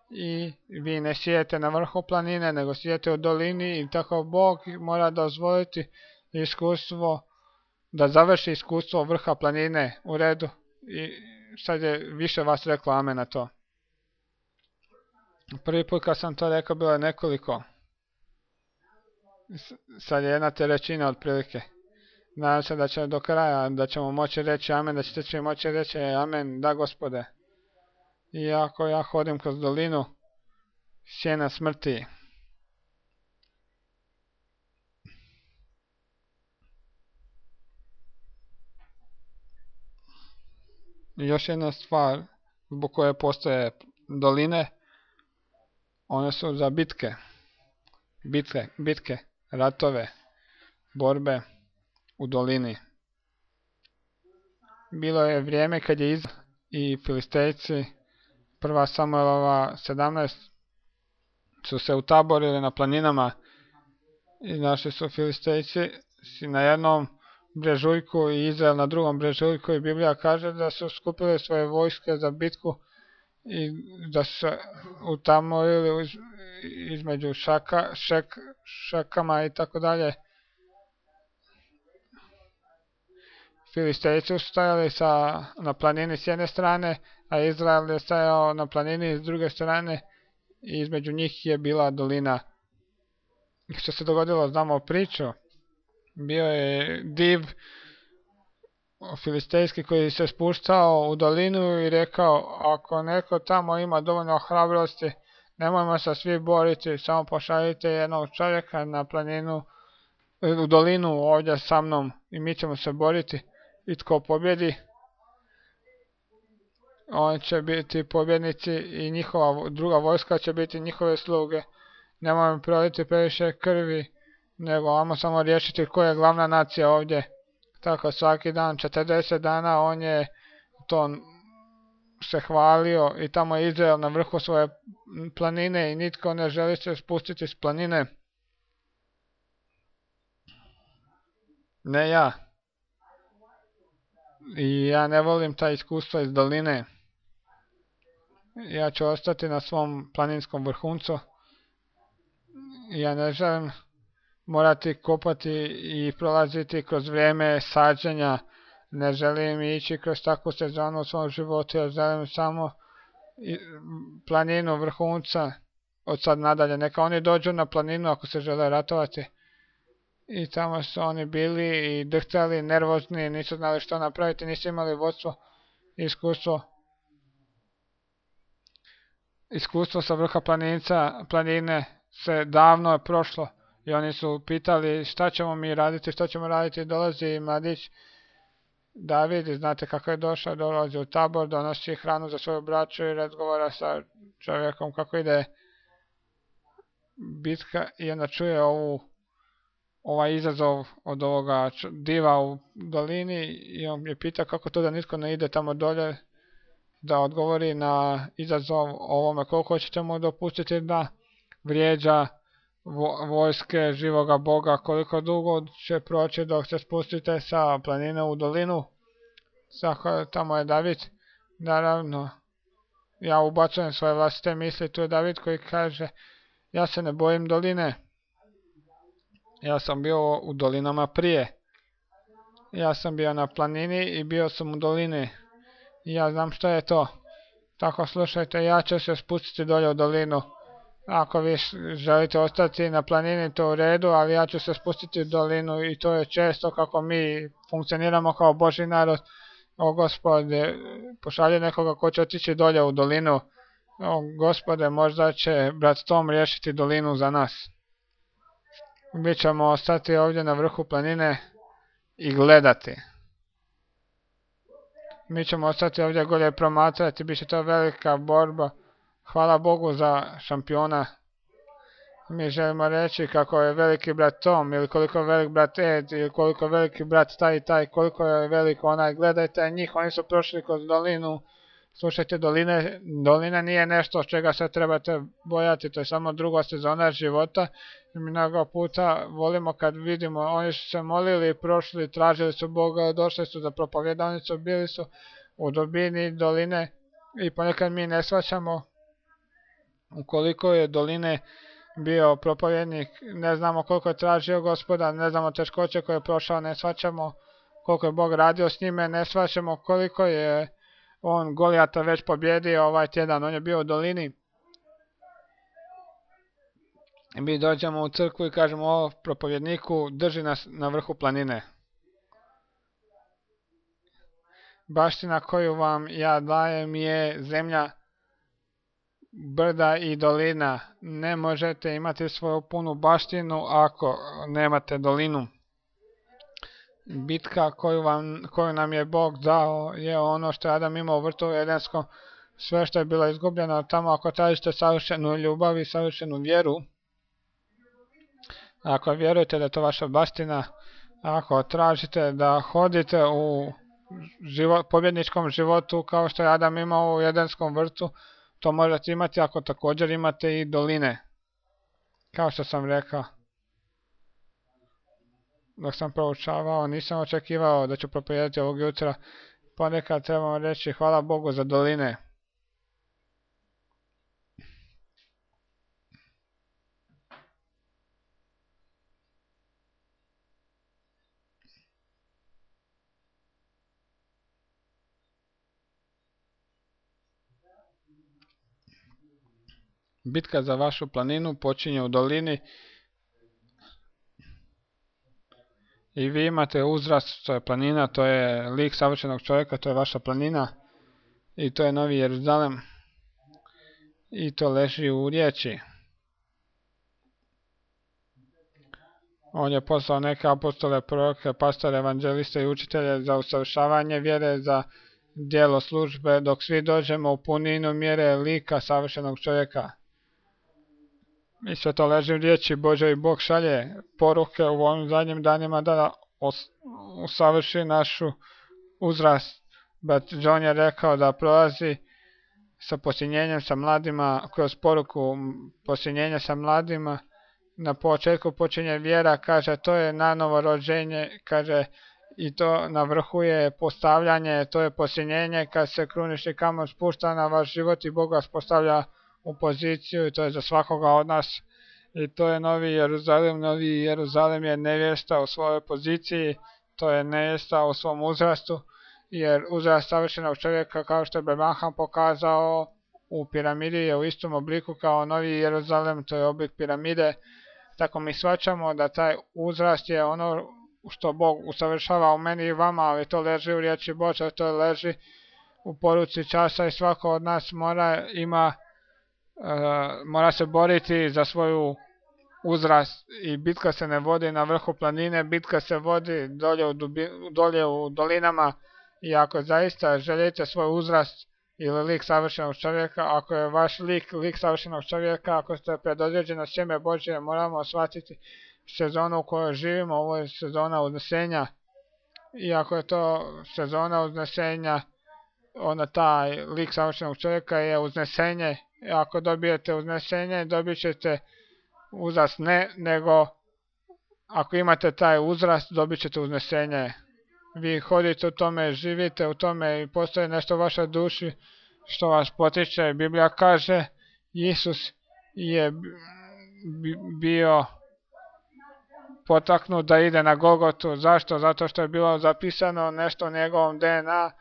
i vi ne sijete na vrhu planine, nego sijete u dolini i tako Bog mora dozvoliti iskustvo, da završi iskustvo vrha planine u redu. I sad je više vas reklo amen na to. Prvi put kad sam to rekao bilo je nekoliko. Sad je 1/3 otprilike. Nadam se da će do kraja, da ćemo moći reći amen, da ćete svi moći reći amen, da Gospode. Iako ja hodim kroz dolinu sjena smrti. I još jedna stvar zbog koje postoje doline, one su za bitke, ratove, borbe u dolini. Bilo je vrijeme kad je Izrael i Filistejci, 1. Samuelova 17, su se utaborili na planinama i našli su Filistejci na jednom brežuljku i Izrael na drugom brežuljku i Biblija kaže da su skupili svoje vojske za bitku i da su se utamorili između šakama i tako dalje. Filistejci su stajali na planini s jedne strane, a Izrael je stajao na planini s druge strane i između njih je bila dolina. Što se dogodilo, znamo priču. Bio je div filistejski koji se spuštao u dolinu i rekao, ako neko tamo ima dovoljno hrabrosti, nemojmo se svi boriti, samo pošaljite jednog čovjeka na planinu, u dolinu ovdje sa mnom i mi ćemo se boriti. I tko pobjedi, on će biti pobjednici i njihova druga vojska će biti njihove sluge. Nemojmo proliti previše krvi, nego ajmo samo riješiti koja je glavna nacija ovdje. Tako svaki dan, 40 dana, on je to se hvalio i tamo je Izrael na vrhu svoje planine i nitko ne želi se spustiti s planine. Ne ja. I ja ne volim ta iskustva iz doline. Ja ću ostati na svom planinskom vrhuncu. Ja ne želim morati kopati i prolaziti kroz vrijeme sađenja. Ne želim ići kroz takvu sezonu u svom životu. Ja želim samo planinu vrhunca od sad nadalje. Neka oni dođu na planinu ako se žele ratovati. I tamo su oni bili i drhtali, nervozni, nisu znali što napraviti, nisu imali vodstvo, iskustvo sa vrha planine se davno je prošlo i oni su pitali šta ćemo mi raditi, dolazi mladić David, znate kako je došao, dolazi u tabor, donosi hranu za svoju braću i razgovara sa čovjekom kako ide bitka i onda čuje ovaj izazov od ovoga diva u dolini i on je pita kako to da nitko ne ide tamo dolje da odgovori na izazov ovome, koliko ćete mu dopustiti da vrijeđa vojske živoga Boga, koliko dugo će proći dok se spustite sa planine u dolinu. Tamo je David, naravno ja ubacujem svoje vlastite misli, tu je David koji kaže ja se ne bojim doline. Ja sam bio u dolinama prije. Ja sam bio na planini i bio sam u dolini. I ja znam što je to. Tako slušajte, ja ću se spustiti dolje u dolinu. Ako vi želite ostati na planini, to u redu, ali ja ću se spustiti u dolinu i to je često kako mi funkcioniramo kao Božji narod. O Gospode, pošalji nekoga ko će otići dolje u dolinu. O Gospode, možda će brat Tom riješiti dolinu za nas. Mi ćemo ostati ovdje na vrhu planine i gledati. Mi ćemo ostati ovdje gore promatrati, bit će to velika borba. Hvala Bogu za šampiona. Mi želimo reći kako je veliki brat Tom, ili koliko je velik brat Ed, ili koliko je veliki brat taj i taj, koliko je velik onaj. Gledajte njih, oni su prošli kroz dolinu. Slušajte, dolina nije nešto čega se trebate bojati, to je samo druga sezona života. I mi mnogo puta volimo kad vidimo, oni su se molili, prošli, tražili su Boga, došli su za propovjedanicu, bili su u dubini doline i ponekad mi ne shvaćamo ukoliko je doline bio propovjednik, ne znamo koliko je tražio Gospoda, ne znamo teškoće koje je prošao, ne shvaćamo koliko je Bog radio s njime, ne shvaćamo koliko je on Golijata već pobjedio ovaj tjedan, on je bio u dolini. I mi dođemo u crkvu i kažemo o propovjedniku, drži nas na vrhu planine. Baština koju vam ja dajem je zemlja, brda i dolina. Ne možete imati svoju punu baštinu ako nemate dolinu. Bitka koju nam je Bog dao je ono što je Adam imao u vrtu Edenskom. Sve što je bilo izgubljeno tamo, ako tražite savršenu ljubav i savršenu vjeru, ako vjerujete da je to vaša baština, ako tražite da hodite u pobjedničkom životu kao što je Adam imao u Edenskom vrtu, to možete imati ako također imate i doline. Kao što sam rekao, dok sam proučavao, nisam očekivao da ću propovijedati ovog jutra. Ponekad trebamo reći hvala Bogu za doline. Bitka za vašu planinu počinje u dolini i vi imate uzrast, to je planina, to je lik savršenog čovjeka, to je vaša planina i to je Novi Jeruzalem i to leži u riječi. On je poslao neke apostole, proroke, pastore, evanđeliste i učitelje za usavršavanje vjere, za djelo službe, dok svi dođemo u puninu mjere lika savršenog čovjeka. I sve to leži u riječi Božoj i Bog šalje poruke u ovim zadnjim danima da usavrši našu uzrast. Brat John je rekao da prolazi sa posinjenjem sa mladima, kroz poruku posinjenja sa mladima. Na početku počinje vjera, kaže to je nanovo rođenje, kaže i to na vrhu je postavljanje, to je posinjenje kad se krunični kamen spušta na vaš život i Bog vas postavlja u poziciju i to je za svakoga od nas. I to je Novi Jeruzalem. Novi Jeruzalem je nevjesta u svojoj poziciji, to je nevjesta u svom uzrastu, jer uzrast savršenog čovjeka, kao što je Branham pokazao u piramidi, je u istom obliku kao Novi Jeruzalem, to je oblik piramide. Tako mi shvaćamo da taj uzrast je ono što Bog usavršava u meni i vama, ali to leži u riječi Božoj, to leži u poruci časa i svako od nas mora se boriti za svoju uzrast i bitka se ne vodi na vrhu planine, bitka se vodi dolje u dolinama i ako zaista želite svoj uzrast ili lik savršenog čovjeka, ako je vaš lik savršenog čovjeka, ako ste predodređeno sjeme Božje, moramo shvatiti sezonu u kojoj živimo, ovo je sezona uznesenja i ako je to sezona uznesenja, onda taj lik savršenog čovjeka je uznesenje. I ako dobijete uznesenje, dobit ćete uzrast nego ako imate taj uzrast, dobit ćete uznesenje. Vi hodite u tome, živite u tome i postoji nešto u vašoj duši što vas potiče. Biblija kaže, Isus je bio potaknut da ide na Golgotu. Zašto? Zato što je bilo zapisano nešto u njegovom DNA,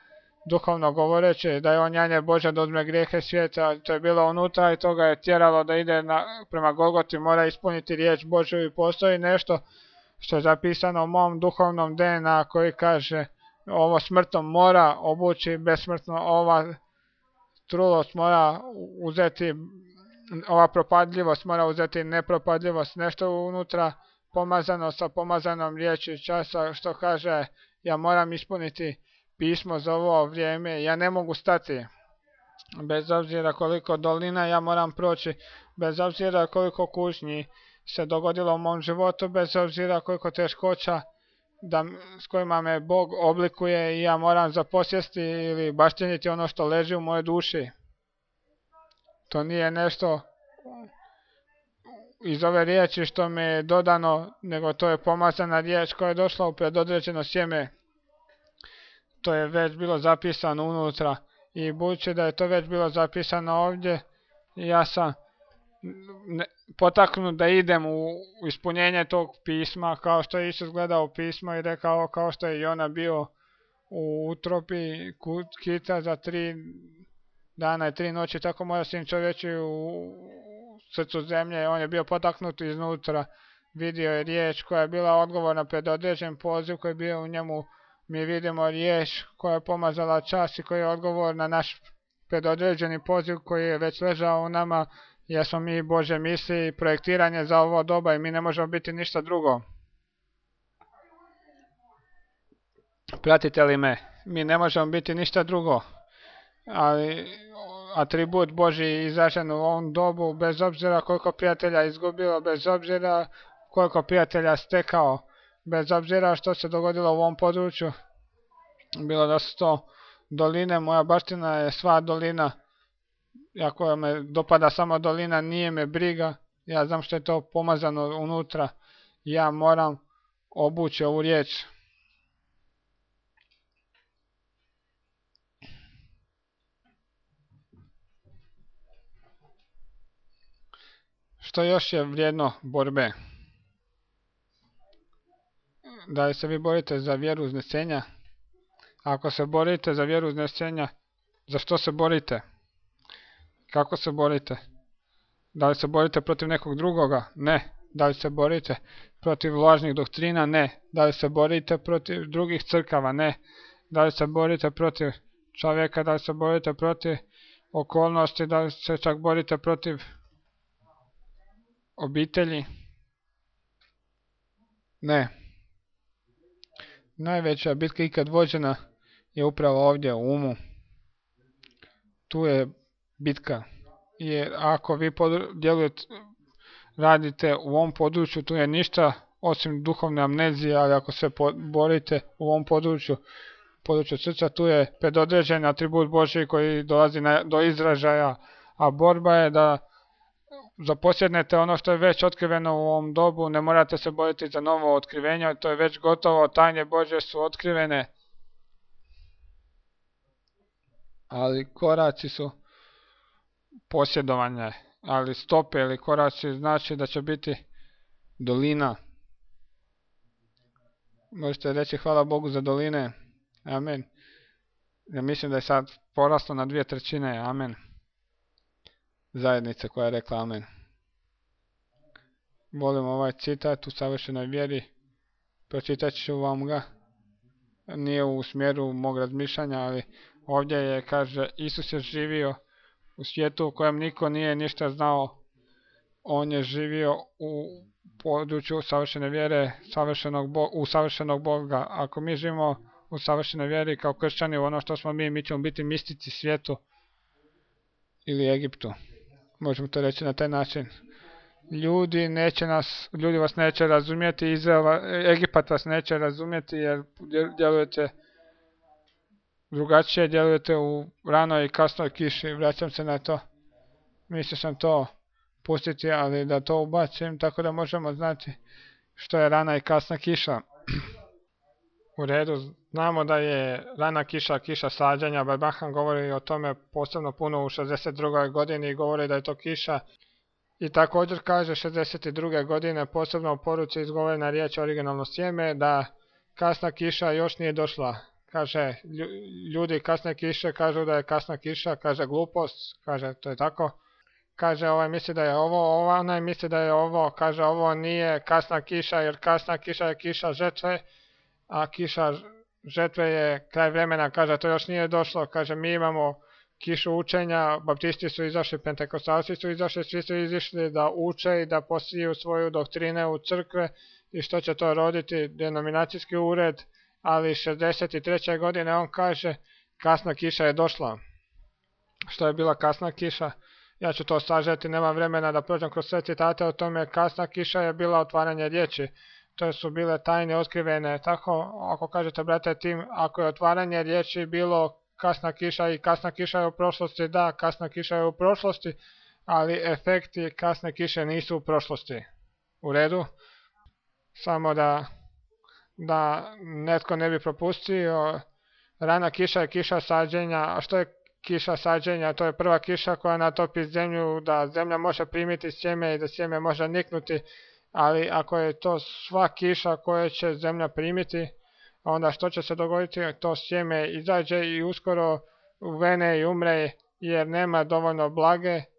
duhovno govoreći, da je on janje Božja da uzme grijehe svijeta. To je bilo unutra i to ga je tjeralo da ide prema Golgoti, mora ispuniti riječ Božju i postoji nešto što je zapisano u mom duhovnom DNA koji kaže ovo smrtom mora obući besmrtno, ova trulost mora uzeti, ova propadljivost mora uzeti nepropadljivost, nešto unutra pomazano sa pomazanom riječi časa što kaže ja moram ispuniti pismo za ovo vrijeme. Ja ne mogu stati. Bez obzira koliko dolina ja moram proći, bez obzira koliko kušnji se dogodilo u mom životu, bez obzira koliko teškoća s kojima me Bog oblikuje i ja moram zaposjesti ili bašteniti ono što leži u mojoj duši. To nije nešto iz ove riječi što mi je dodano, nego to je pomazana riječ koja je došla u predodređeno sjeme. To je već bilo zapisano unutra i budući da je to već bilo zapisano ovdje, ja sam potaknut da idem u ispunjenje tog pisma, kao što je Isus gledao pismo i rekao, kao što je Jona bio u utrobi kita za 3 dana i 3 noći, tako mora Sin čovječi u srcu zemlje. On je bio potaknut iznutra, vidio je riječ koja je bila odgovorna pred određen poziv koji je bio u njemu. Mi vidimo riječ koja je pomazala čas i koja je odgovor na naš predodređeni poziv koji je već ležao u nama, jer smo mi Božje misli i projektiranje za ovo doba i mi ne možemo biti ništa drugo. Pratite li me? Mi ne možemo biti ništa drugo, ali atribut Božji izražen u ovom dobu, bez obzira koliko prijatelja izgubilo, bez obzira koliko prijatelja stekao, bez obzira što se dogodilo u ovom području, bilo da su to doline, moja baština je sva dolina. Ako me dopada samo dolina, nije me briga, ja znam što je to pomazano unutra, ja moram obući ovu riječ. Što još je vrijedno borbe? Da li se vi borite za vjeru uznesenja? Ako se borite za vjeru uznesenja, za što se borite? Kako se borite? Da li se borite protiv nekog drugoga? Ne. Da li se borite protiv lažnih doktrina? Ne. Da li se borite protiv drugih crkava? Ne. Da li se borite protiv čovjeka? Da li se borite protiv okolnosti? Da li se čak borite protiv obitelji? Ne. Najveća bitka ikad vođena je upravo ovdje u umu. Tu je bitka. Jer ako vi radite u ovom području, tu je ništa osim duhovne amnezije, ali ako se borite u ovom području srca, tu je predodređen atribut Božji koji dolazi do izražaja, a borba je da zaposjednete ono što je već otkriveno u ovom dobu, ne morate se boriti za novo otkrivenje, to je već gotovo, tajne Božje su otkrivene, ali koraci su posjedovanje, ali stope ili koraci znači da će biti dolina. Možete reći hvala Bogu za doline, amen. Ja mislim da je sad poraslo na 2/3, amen. Zajednice koja je rekla amen. Volim ovaj citat u savršenoj vjeri, pročitat ću vam ga, nije u smjeru mog razmišljanja, ali ovdje je, kaže, Isus je živio u svijetu u kojem niko nije ništa znao, on je živio u području savršene vjere, u savršenog Boga. Ako mi živimo u savršenoj vjeri kao kršćani u ono što smo mi ćemo biti mistici svijetu ili Egiptu. Možemo to reći na taj način. Ljudi vas neće razumjeti, Egipat vas neće razumjeti jer djelujete drugačije, djelujete u ranoj i kasnoj kiši. Vraćam se na to. Mislio sam to pustiti, ali da to ubacim tako da možemo znati što je rana i kasna kiša. U redu, znamo da je rana kiša, kiša sađanja. Barbahan govori o tome posebno puno u 62. godini i govori da je to kiša. I također kaže 62. godine, posebno u poruci izgovorena riječ originalno sjeme, da kasna kiša još nije došla. Kaže, ljudi kasne kiše kažu da je kasna kiša, kaže glupost, kaže to je tako. Kaže ovaj misli da je ovo, onaj misli da je ovo, kaže ovo nije kasna kiša jer kasna kiša je kiša žetve, a kiša žetve je kraj vremena, kaže to još nije došlo, kaže mi imamo kišu učenja, baptisti su izašli, pentekostalci su izašli, svi su izišli da uče i da posiju svoju doktrine u crkve i što će to roditi, denominacijski ured, ali 63. godine on kaže kasna kiša je došla. Što je bila kasna kiša? Ja ću to sažeti, nema vremena da prođem kroz sve citate o tome. Kasna kiša je bila otvaranje riječi. To su bile tajne otkrivene. Tako, ako kažete, brate Tim, ako je otvaranje riječi bilo kasna kiša i kasna kiša je u prošlosti, da, kasna kiša je u prošlosti, ali efekti kasne kiše nisu u prošlosti. U redu? Samo da netko ne bi propustio, rana kiša je kiša sađenja. A što je kiša sađenja? To je prva kiša koja natopi zemlju, da zemlja može primiti sjeme i da sjeme može niknuti, ali ako je to sva kiša koja će zemlja primiti, onda što će se dogoditi? To sjeme izađe i uskoro uvene i umre, jer nema dovoljno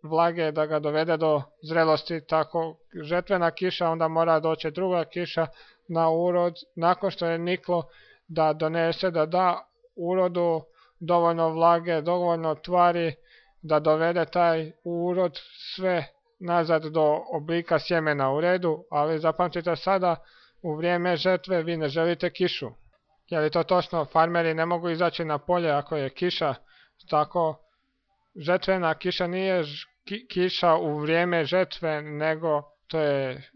vlage da ga dovede do zrelosti. Tako žetvena kiša, onda mora doći druga kiša na urod, nakon što je niklo, da donese, da da urodu dovoljno vlage, dovoljno tvari, da dovede taj urod sve nazad do oblika sjemena. U redu, ali zapamtite sada, u vrijeme žetve vi ne želite kišu. Je li to točno? Farmeri ne mogu izaći na polje ako je kiša. Tako, žetvena kiša nije kiša u vrijeme žetve, nego to je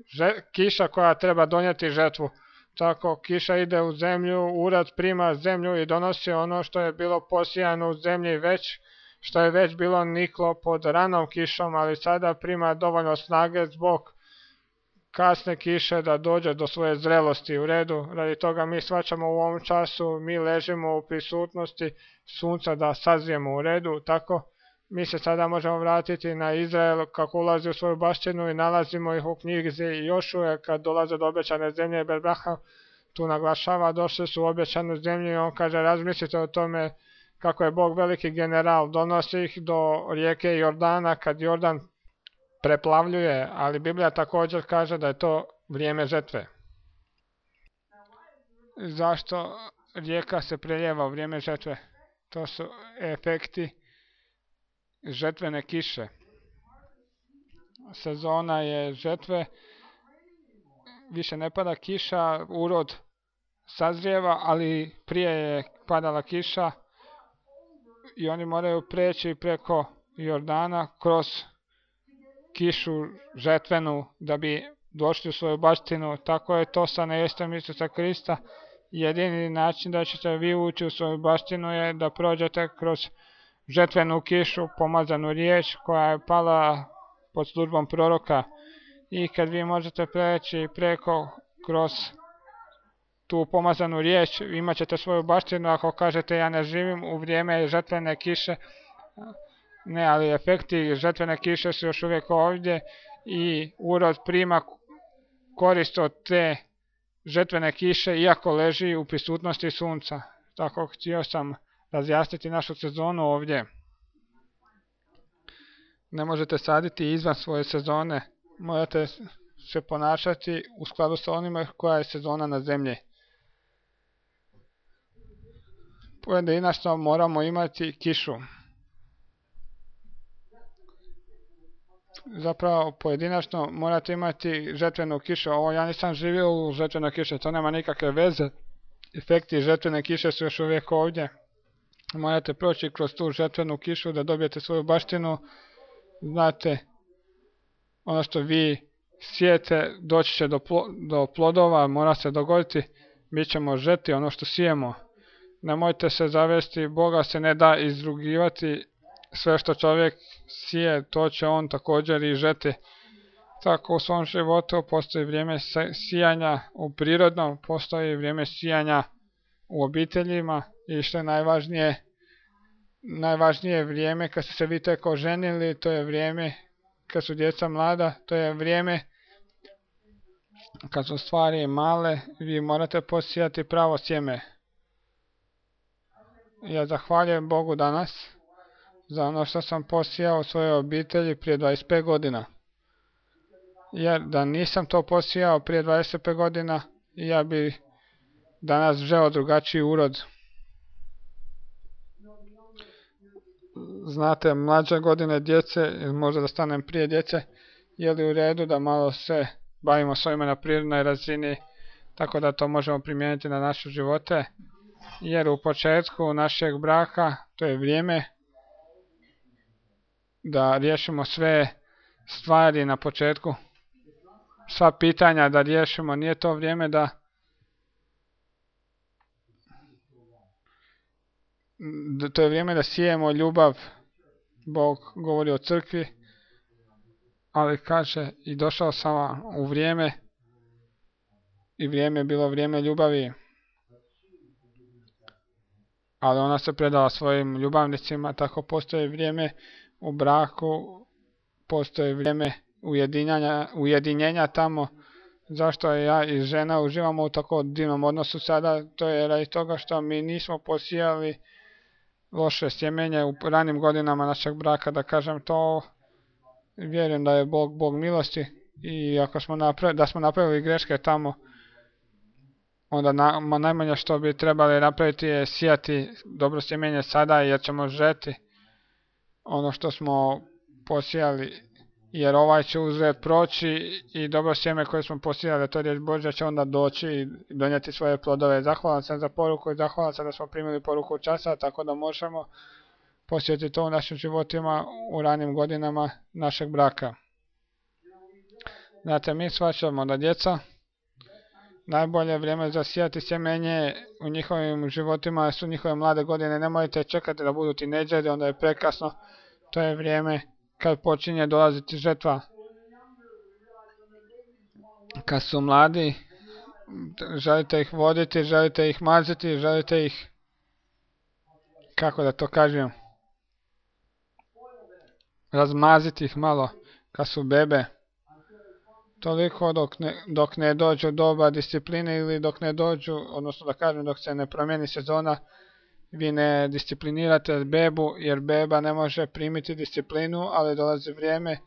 kiša koja treba donijeti žetvu. Tako, kiša ide u zemlju, urod prima zemlju i donosi ono što je bilo posijano u zemlji već, što je već bilo niklo pod ranom kišom, ali sada prima dovoljno snage zbog kasne kiše da dođe do svoje zrelosti. U redu, radi toga mi shvaćamo u ovom času, mi ležimo u prisutnosti sunca da sazrijemo. U redu, tako mi se sada možemo vratiti na Izrael kako ulazi u svoju baštinu i nalazimo ih u knjizi Jošuje kad dolaze do obećane zemlje. Berbraha tu naglašava, došli su u obećanu zemlju i on kaže razmislite o tome kako je Bog veliki general, donosi ih do rijeke Jordana kad Jordan preplavljuje, ali Biblija također kaže da je to vrijeme žetve. Zašto rijeka se preljeva u vrijeme žetve? To su efekti žetvene kiše. Sezona je žetve, više ne pada kiša, urod sazrijeva, ali prije je padala kiša i oni moraju preći preko Jordana kroz kišu žetvenu da bi došli u svoju baštinu. Tako je to sa nevjestom Isusa Krista. Jedini način da ćete vi ući u svoju baštinu je da prođete kroz žetvenu kišu, pomazanu riječ koja je pala pod službom proroka. I kad vi možete preći preko kroz tu pomazanu riječ, imat ćete svoju baštinu. Ako kažete ja ne živim u vrijeme žetvene kiše, ne, ali efekti žetvene kiše su još uvijek ovdje i urod prima korist od te žetvene kiše iako leži u prisutnosti sunca. Tako htio sam razjasniti našu sezonu ovdje. Ne možete saditi izvan svoje sezone, morate se ponašati u skladu sa onima koja je sezona na zemlji. Pojedinačno moramo imati kišu. Zapravo pojedinačno morate imati žetvenu kišu. Ovo ja nisam živio u žetvenoj kiši, to nema nikakve veze. Efekti žetvene kiše su još uvijek ovdje. Morate proći kroz tu žetvenu kišu da dobijete svoju baštinu. Znate, ono što vi sijete doći će do plodova, mora se dogoditi. Mi ćemo žeti ono što sijemo. Nemojte se zavesti, Boga se ne da izrugivati. Sve što čovjek sije, to će on također i žeti. Tako u svom životu postoji vrijeme sijanja u prirodnom, postoji vrijeme sijanja u obiteljima i što je najvažnije vrijeme kad ste se vi tek oženili, to je vrijeme kad su djeca mlada, to je vrijeme kad su stvari male, vi morate posijati pravo sjeme. Ja zahvaljujem Bogu danas za ono što sam posijao u svojoj obitelji prije 25 godina. Jer da nisam to posijao prije 25 godina, ja bi danas želeo drugačiji urod. Znate, mlađe godine djece, možda da stanem prije djece, je li u redu da malo se bavimo svojima na prirodnoj razini, tako da to možemo primijeniti na naše živote, jer u početku našeg braka to je vrijeme da riješimo sve stvari na početku, sva pitanja da riješimo, nije to vrijeme da to je vrijeme da sijemo ljubav. Bog govori o crkvi, ali kaže i došao sam u vrijeme i vrijeme je bilo vrijeme ljubavi, ali ona se predala svojim ljubavnicima, tako postoji vrijeme u braku, postoji vrijeme ujedinjenja tamo. Zašto ja i žena uživamo u tako divnom odnosu sada? To je radi toga što mi nismo posijali loše sjemenje u ranim godinama našeg braka, da kažem to. Vjerujem da je Bog milosti i ako smo napravili greške tamo, onda najmanje što bi trebali napraviti je sijati dobro sjemenje sada, jer ćemo žeti ono što smo posijali, jer ovaj će uzred proći i dobro sjeme koje smo posijali, to je riječ Božja, će onda doći i donijeti svoje plodove. Zahvalan sam za poruku i zahvalan sam da smo primili poruku časa, tako da možemo posjetiti to u našim životima u ranim godinama našeg braka. Znate, mi shvaćamo da djeca najbolje vrijeme za sijati sjemenje u njihovim životima su njihove mlade godine. Nemojte čekati da budu tinejdžeri, onda je prekasno. To je vrijeme kad počinje dolaziti žetva. Kad su mladi, želite ih voditi, želite ih maziti, želite ih, kako da to kažem, razmaziti ih malo kad su bebe. Toliko dok ne dođu doba discipline ili dok ne dođu, odnosno da kažem dok se ne promijeni sezona, vi ne disciplinirate bebu, jer beba ne može primiti disciplinu, ali dolazi vrijeme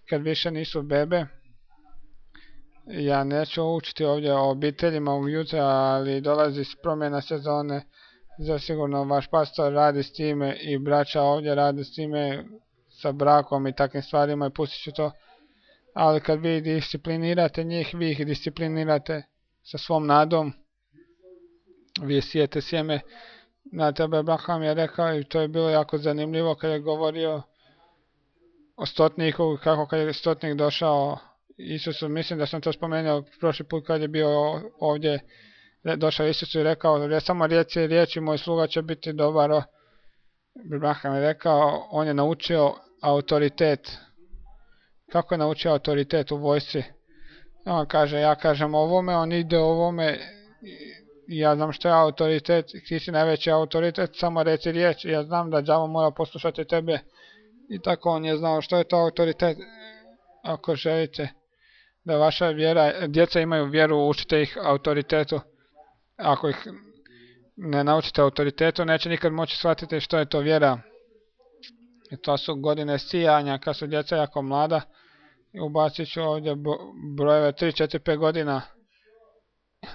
kad više nisu bebe. Ja neću učiti ovdje o obiteljima ujutro, ali dolazi promjena sezone. Zasigurno vaš pastor radi s time i braća ovdje radi s time sa brakom i takvim stvarima i pustit ću to. Ali kad vi disciplinirate njih, vi ih disciplinirate sa svom nadom. Vi sijete sjeme. Na tebe Abraham je rekao i to je bilo jako zanimljivo kad je govorio o stotniku, kako kad je stotnik došao Isusu, mislim da sam to spomenuo prošli put kad je bio ovdje, došao Isusu i rekao, samo riječi, moj sluga će biti dobar. Abraham je rekao, on je naučio autoritet. Kako je naučio autoritet u vojsci? On kaže, ja kažem ovome, on ide ovome, ja znam što je autoritet, ti si najveći autoritet, samo reci riječ, ja znam da đavo mora poslušati tebe. I tako on je znao što je to autoritet. Ako želite da vaša vjera, djeca imaju vjeru, učite ih autoritetu. Ako ih ne naučite autoritetu, neće nikad moći shvatiti što je to vjera. I to su godine sijanja, kad su djeca jako mlada. Ubacit ću ovdje brojeve 3, 4, 5 godina.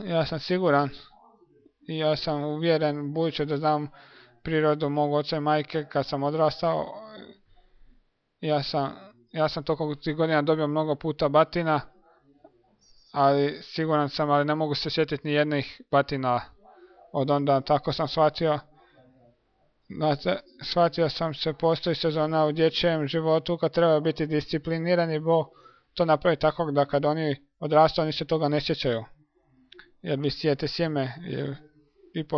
Ja sam siguran i ja sam uvjeren, budući da znam prirodu mog oca i majke, kad sam odrastao, ja sam toliko tih godina dobio mnogo puta batina, ali siguran sam, ali ne mogu se sjetiti ni jednih batina od onda. Tako sam shvatio. Znate, shvatio sam se, postoji sezona u dječjem životu kad treba biti disciplinirani, Bog to napravi tako da kad oni odrastu, oni se toga ne sjećaju. Jer vi sijete sjeme i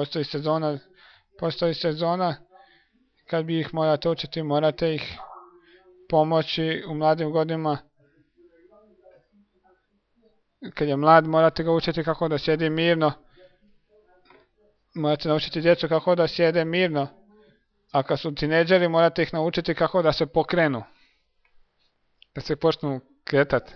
postoji sezona kad bi ih morate učiti, morate ih pomoći u mladim godinama. Kad je mlad, morate ga učiti kako da sjedi mirno. Morate naučiti djecu kako da sjede mirno. A kad su tinejdžeri, morate ih naučiti kako da se pokrenu. Da se počnu kretati.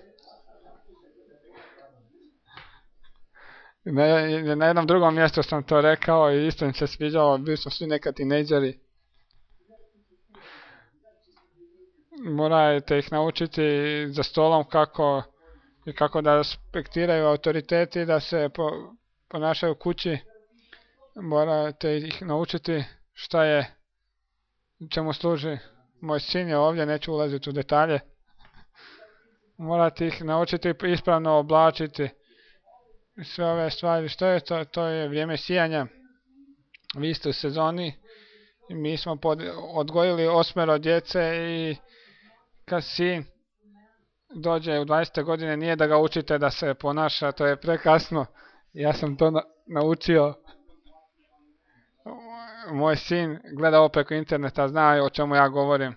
Na jednom drugom mjestu sam to rekao i isto im se sviđalo, bili smo svi nekad tinejdžeri. Morate ih naučiti za stolom kako da respektiraju autoriteti, da se ponašaju kući. Morate ih naučiti šta je, čemu služi. Moj sin je ovdje, neću ulaziti u detalje. Morate ih naučiti ispravno oblačiti. sve ove stvari. Što je to? To je vrijeme sijanja. Vi ste u sezoni. Mi smo odgojili 8 djece i kad sin dođe u 20. godine nije da ga učite da se ponaša, to je prekasno. Ja sam to naučio. Moj sin gleda ovo preko interneta, zna o čemu ja govorim.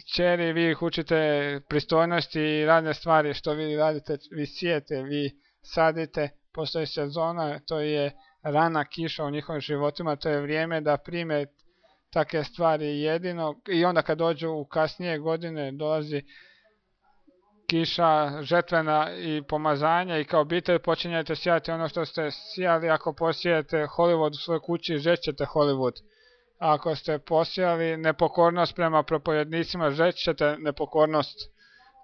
Kćeri, vi ih učite pristojnosti i radne stvari, što vi radite, vi sijete, vi sadite, postoji sezona, to je rana kiša u njihovim životima, to je vrijeme da prime takve stvari jedino i onda kad dođu u kasnije godine dolazi kiša, žetvena i pomazanje i kao obitelj počinjete sijati ono što ste sijali. Ako posijete Hollywood u svojoj kući, žećete Hollywood. Ako ste posijali nepokornost prema propovednicima, žećete nepokornost.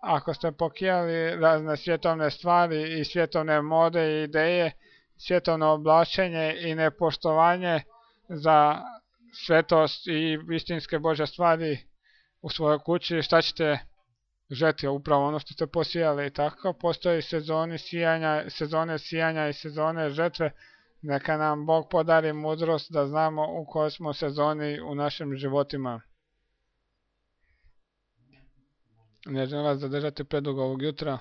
Ako ste pokijali razne svjetovne stvari i svjetovne mode i ideje, svjetovno oblačenje i nepoštovanje za svetost i istinske Božje stvari u svojoj kući, šta ćete žeti? Upravo ono što ste posijali. I tako postoji sezone sijanja i sezone žetve. Neka nam Bog podari mudrost da znamo u kojoj smo sezoni u našim životima. Ne želim vas zadržati predugo ovog jutra.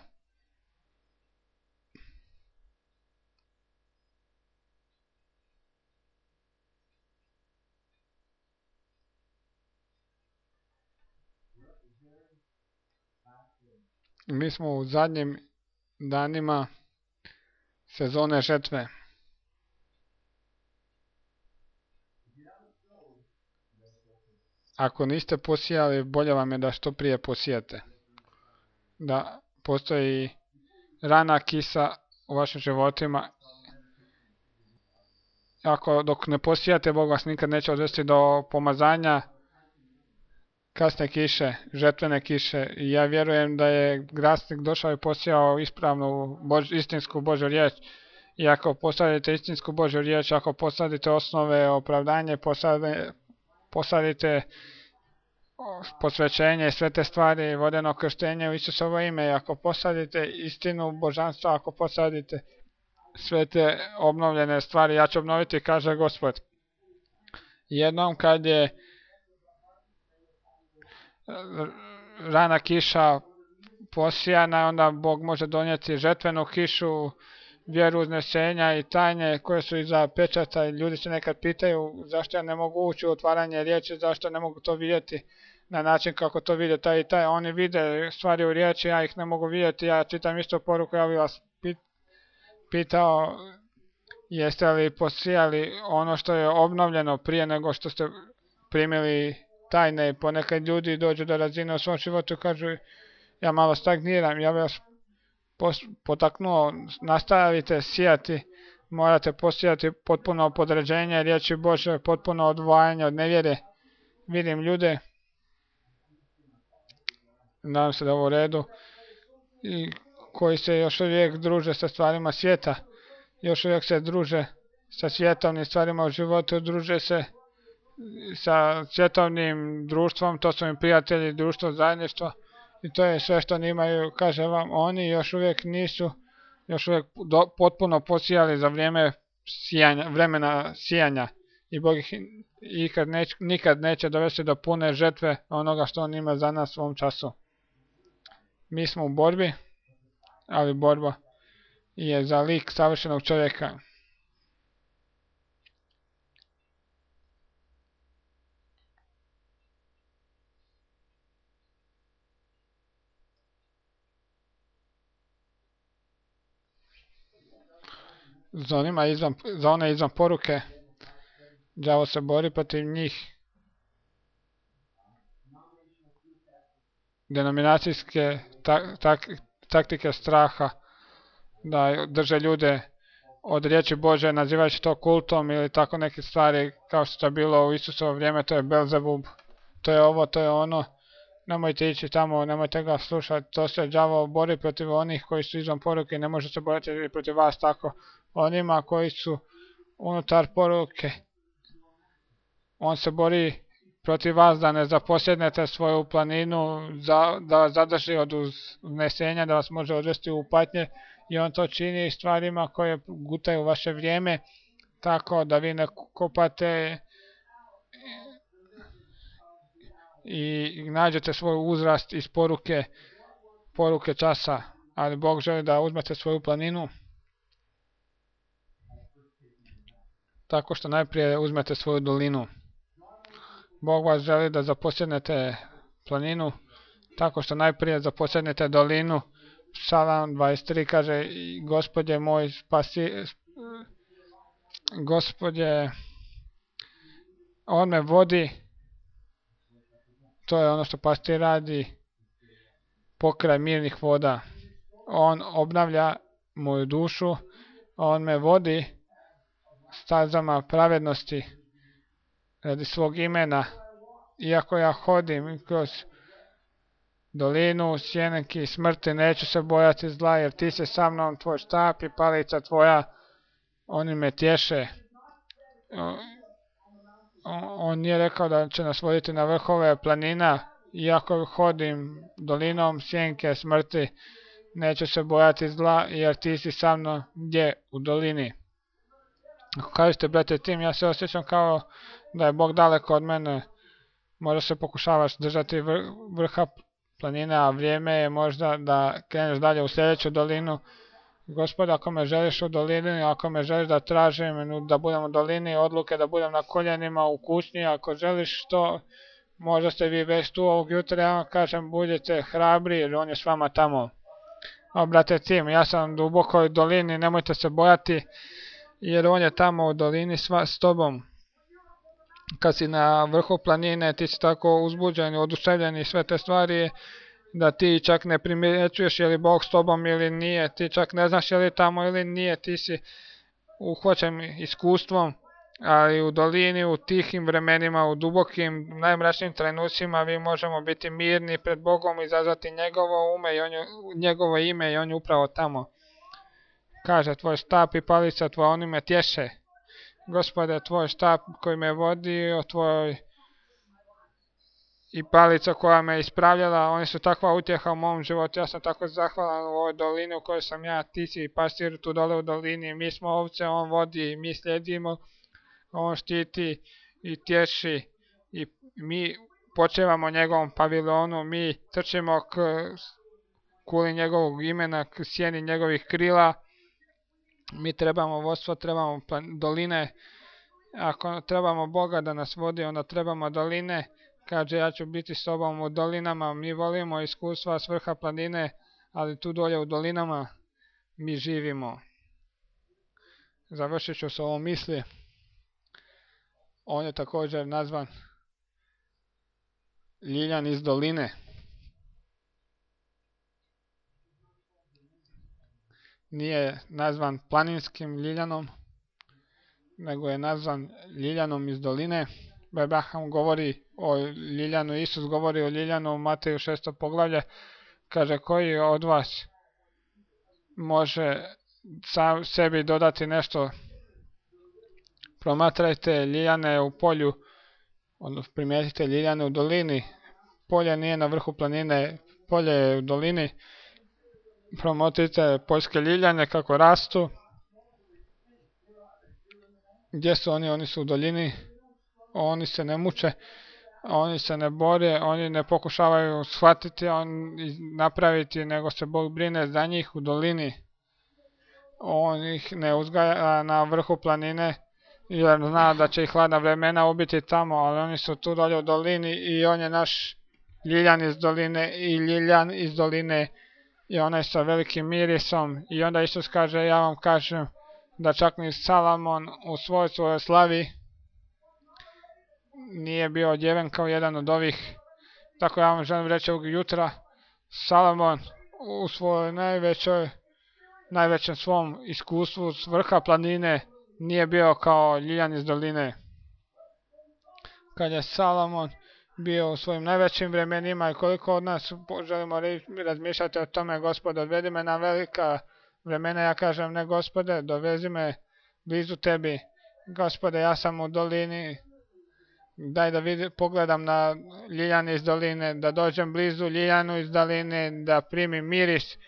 Mi smo u zadnjim danima sezone žetve. Ako niste posijali, bolje vam je da što prije posijete. Da postoji rana kisa u vašim životima. Ako dok ne posijate, Bog vas nikad neće odvesti do pomazanja kasne kiše, žetvene kiše. I ja vjerujem da je grasnik došao i posijao ispravnu istinsku Božju riječ. I ako posadite istinsku Božju riječ, ako posadite osnove opravdanje, posadite posvećenje i sve te stvari, vodeno krštenje u Isusovo ime, i ako posadite istinu božanstva, ako posadite sve te obnovljene stvari, ja ću obnoviti, kaže Gospod. Jednom kad je rana kiša posijana, onda Bog može donijeti žetvenu kišu, vjeru uznesenja i tajne koje su iza pečata. I ljudi se nekad pitaju zašto ja ne mogu ući u otvaranje riječi, zašto ne mogu to vidjeti na način kako to vide taj i taj. Oni vide stvari u riječi, ja ih ne mogu vidjeti. Ja čitam isto poruku, ja bih vas pitao jeste li posijali ono što je obnovljeno prije nego što ste primili tajne. I ponekad ljudi dođu do razine u svom životu i kažu ja malo stagniram. Ja bih vas potaknuo, nastavite sijati, morate posijati potpuno podređenje riječi Bože, potpuno odvajanje od nevjere. Vidim ljude, nadam se da je ovo u redu, i koji se još uvijek druže sa stvarima svijeta, još uvijek se druže sa svjetovnim stvarima u životu, druže se sa svjetovnim društvom, to su im prijatelji, društvo, zajedništvo, i to je sve što oni imaju. Kaže vam, oni još uvijek nisu potpuno posijali za vremena sijanja, i Bog ih nikad neće dovesti do pune žetve onoga što on ima za nas u ovom času. Mi smo u borbi, ali borba je za lik savršenog čovjeka. Za one izvan poruke, đavo se bori protiv njih. Denominacijske taktike straha, da drže ljude od riječi Bože, nazivajući to kultom ili tako neke stvari, kao što je bilo u Isusovo vrijeme, to je Belzebub, to je ovo, to je ono. Nemojte ići tamo, nemojte ga slušati, to se đavo bori protiv onih koji su izvan poruke, ne može se boriti protiv vas tako. Onima koji su unutar poruke, on se bori protiv vas da ne zaposjednete svoju planinu, da vas zadrži od uznesenja, da vas može odvesti u patnje i on to čini stvarima koje gutaju vaše vrijeme, tako da vi ne kopate i nađete svoj uzrast iz poruke časa, ali Bog želi da uzmete svoju planinu tako što najprije uzmete svoju dolinu. Bog vas želi da zaposjednete planinu tako što najprije zaposjednete dolinu. Psalam 23 kaže: Gospodje moj Gospodje, on me vodi, to je ono što pastir radi, pokraj mirnih voda. On obnavlja moju dušu, on me vodi stazama pravednosti radi svog imena. Iako ja hodim kroz dolinu sjenki smrti, neću se bojati zla, jer ti si sa mnom, tvoj štap i palica tvoja, oni me tješe. On nije rekao da će nas voditi na vrhove planina. Iako hodim dolinom sjenke smrti, neću se bojati zla, jer ti si sa mnom gdje u dolini. Ako kažete, brate Tim, ja se osjećam kao da je Bog daleko od mene, možda se pokušavaš držati vrha planine, a vrijeme je možda da kreneš dalje u sljedeću dolinu. Gospod, ako me želiš u dolini, ako me želiš da tražim da budem u dolini, odluke da budem na koljenima u kućnji, ako želiš to, možda ste vi već tu ovog jutra, ja vam kažem, budite hrabri jer on je s vama tamo. O, brate Tim, ja sam duboko u dolini, nemojte se bojati, jer on je tamo u dolini s tobom. Kad si na vrhu planine, ti si tako uzbuđen, oduševljen i sve te stvari, da ti čak ne primjećuješ je li Bog s tobom ili nije, ti čak ne znaš je li tamo ili nije, ti si uhvaćen iskustvom, ali u dolini, u tihim vremenima, u dubokim, najmračnijim trenucima mi možemo biti mirni pred Bogom i izazvati njegovo ime i on je upravo tamo. Kaže, tvoj štap i palica tvoja, oni me tješe. Gospode, tvoj štap koji me vodio, tvoj i palica koja me ispravljala, oni su takva utjeha u mom životu. Ja sam tako zahvalan u ovoj dolini u kojoj sam ja, ti si pastir tu dole u dolini, mi smo ovce, on vodi, mi slijedimo, on štiti i tješi i mi počevamo njegovom pavilonu, mi trčimo k kuli njegovog imena, k sjeni njegovih krila. Mi trebamo vodstvo, trebamo doline. Ako trebamo Boga da nas vodi, onda trebamo doline. Kaže, ja ću biti s tobom u dolinama. Mi volimo iskustva s vrha planine, ali tu dolje u dolinama mi živimo. Završit ću s ovom misli. On je također nazvan ljiljan iz doline. Nije nazvan planinskim ljiljanom, nego je nazvan ljiljanom iz doline. Abraham govori o ljiljanu, Isus govori o ljiljanu u Mateju 6. poglavlje. Kaže, koji od vas može sam sebi dodati nešto? Promatrajte ljiljane u polju, odnosno primijetite ljiljane u dolini. Polje nije na vrhu planine, polje je u dolini. Promotrite poljske ljiljane kako rastu. Gdje su oni? Oni su u dolini. Oni se ne muče, oni se ne bore, oni ne pokušavaju shvatiti, napraviti, nego se Bog brine za njih u dolini. On ih ne uzgaja na vrhu planine, jer zna da će ih hladna vremena ubiti tamo, ali oni su tu dolje u dolini i on je naš ljiljan iz doline i ljiljan iz doline i onaj sa velikim mirisom. I onda Isus kaže, ja vam kažem da čak ni Salomon u svojoj slavi nije bio odjeven kao jedan od ovih. Tako ja vam želim reći ovog jutra, Salomon u svojoj najvećem svom iskustvu s vrha planine nije bio kao ljiljan iz doline. Kad je Salomon bio u svojim najvećim vremenima i koliko od nas želimo razmišljati o tome, Gospode, odvedi me na velika vremena, ja kažem, ne Gospode, dovezi me blizu tebi. Gospode, ja sam u dolini, daj da pogledam na ljiljan iz doline, da dođem blizu ljiljanu iz doline, da primim miris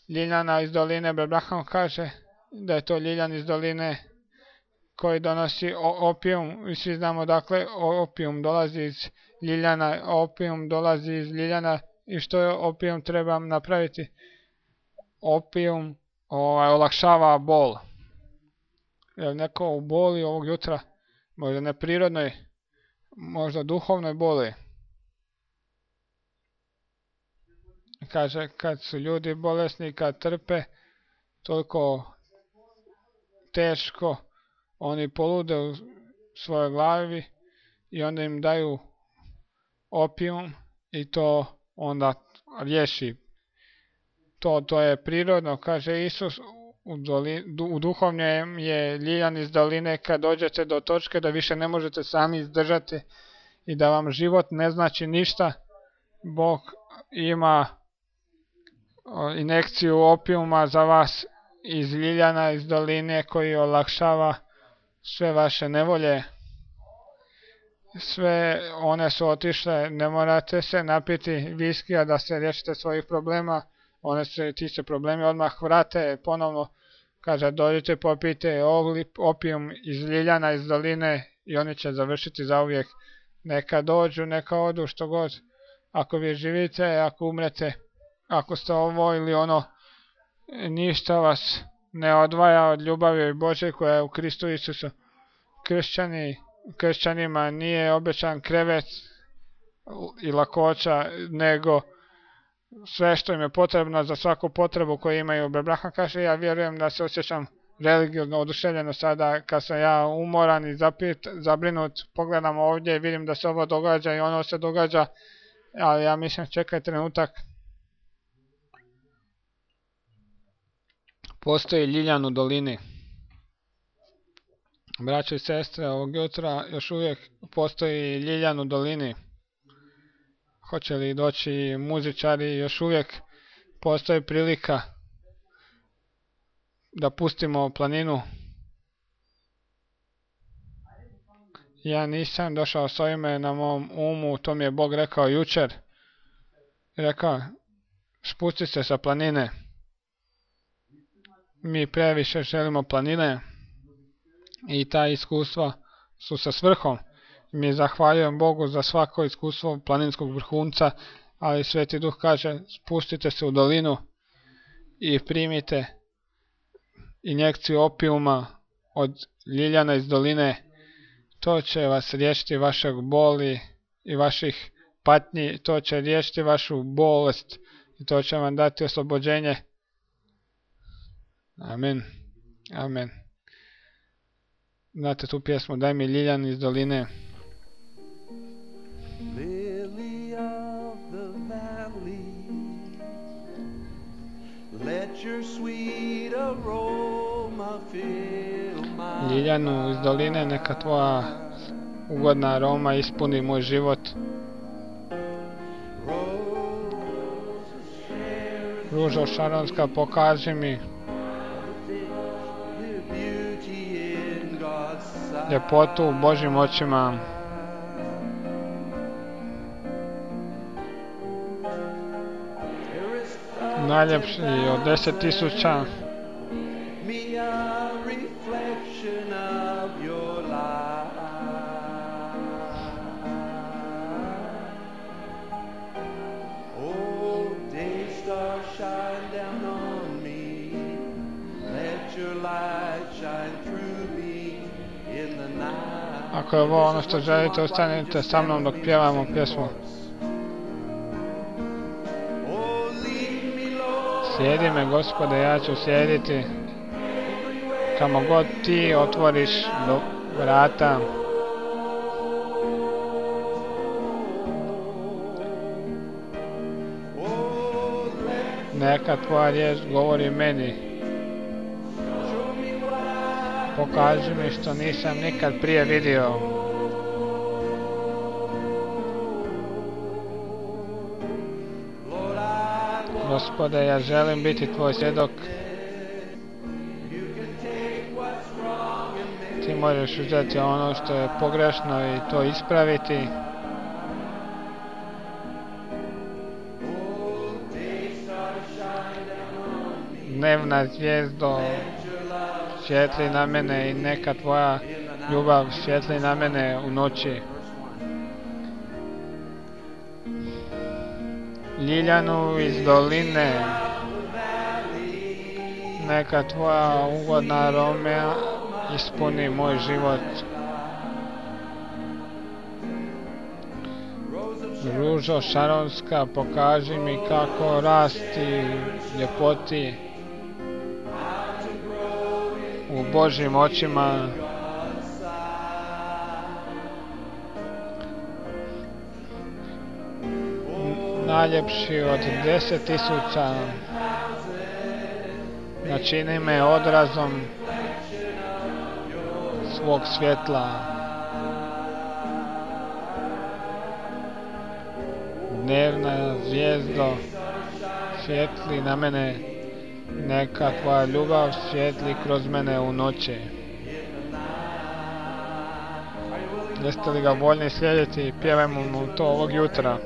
ljiljana iz doline. Abraham kaže da je to ljiljan iz doline koji donosi opijum, i svi znamo dakle opijum dolazi iz ljiljana, opijum dolazi iz ljiljana. I što je opijum treba napraviti? Opijum olakšava bol. Je neko u boli ovog jutra? Možda neprirodnoj, možda duhovnoj boli. Kaže, kad su ljudi bolesni, kad trpe toliko teško, oni polude u svojoj glavi i onda im daju opijum i to onda riješi. To je prirodno, kaže Isus, u duhovnjem je ljiljan iz doline kad dođete do točke da više ne možete sami izdržati i da vam život ne znači ništa. Bog ima injekciju opijuma za vas iz ljiljana iz doline koji olakšava sve vaše nevolje. Sve one su otišle, ne morate se napiti viskija da se riješite svojih problema. Ti se problemi odmah vrate ponovno. Kaže, dođite popijte opijum iz ljiljana iz doline i oni će završiti zauvijek. Neka dođu, neka odu, što god. Ako vi živite, ako umrete, ako ste ovo ili ono, ništa vas ne odvaja od ljubavi Božje koja je u Kristu Isusu. Kršćanima nije obećan krevet i lakoća, nego sve što im je potrebno za svaku potrebu koju imaju. Abraham kaže, ja vjerujem da se osjećam religiozno oduševljeno sada kad sam ja umoran i zabrinut. Pogledam ovdje i vidim da se ovo događa i ono se događa, ali ja mislim čekaj trenutak. Postoji ljiljan u dolini. Braćo i sestre, ovog jutra još uvijek postoji ljiljan u dolini. Hoće li doći muzičari, još uvijek postoji prilika da pustimo planinu. Ja nisam došao s ovime na mom umu, to mi je Bog rekao jučer. Rekao, spusti se sa planine. Mi previše želimo planine i ta iskustva su sa svrhom. Mi zahvaljujem Bogu za svako iskustvo planinskog vrhunca, ali Sveti Duh kaže, spustite se u dolinu i primite injekciju opijuma od ljiljana iz doline. To će vas riješiti vašeg boli i vaših patnji, to će riješiti vašu bolest i to će vam dati oslobođenje. Amen. Amen. Znate tu pjesmu, daj mi ljiljan iz doline. Lily of the valley, let your sweet aroma fill my Ljiljanu iz doline, neka tvoja ugodna aroma ispuni moj život. Ružo šaronska, pokaži mi ljepotu u Božjim očima. Najljepši od 10.000. Ako je ovo ono što želite, ostanite sa mnom dok pjevamo pjesmu. Slijedi me, Gospode, ja ću slijediti. Kamo god ti otvoriš vrata. Neka tvoja riječ govori meni. Pokaži mi što nisam nikad prije vidio. Gospode, ja želim biti tvoj svjedok. Ti možeš uzeti ono što je pogrešno i to ispraviti. dnevna zvijezdo, svijetli na mene i neka tvoja ljubav svijetli na mene u noći. Ljiljanu iz doline, neka tvoja ugodna aroma ispuni moj život. Ružo šaronska, pokaži mi kako rasti ljepoti u Božjim očima. Najljepši od 10.000, načini me odrazom svog svjetla. Dnevna zvijezdo, svijetli na mene, neka tvoja ljubav svijetli kroz mene u noći. Jeste li ga voljni slijediti i pjevajmo mu to ovog jutra.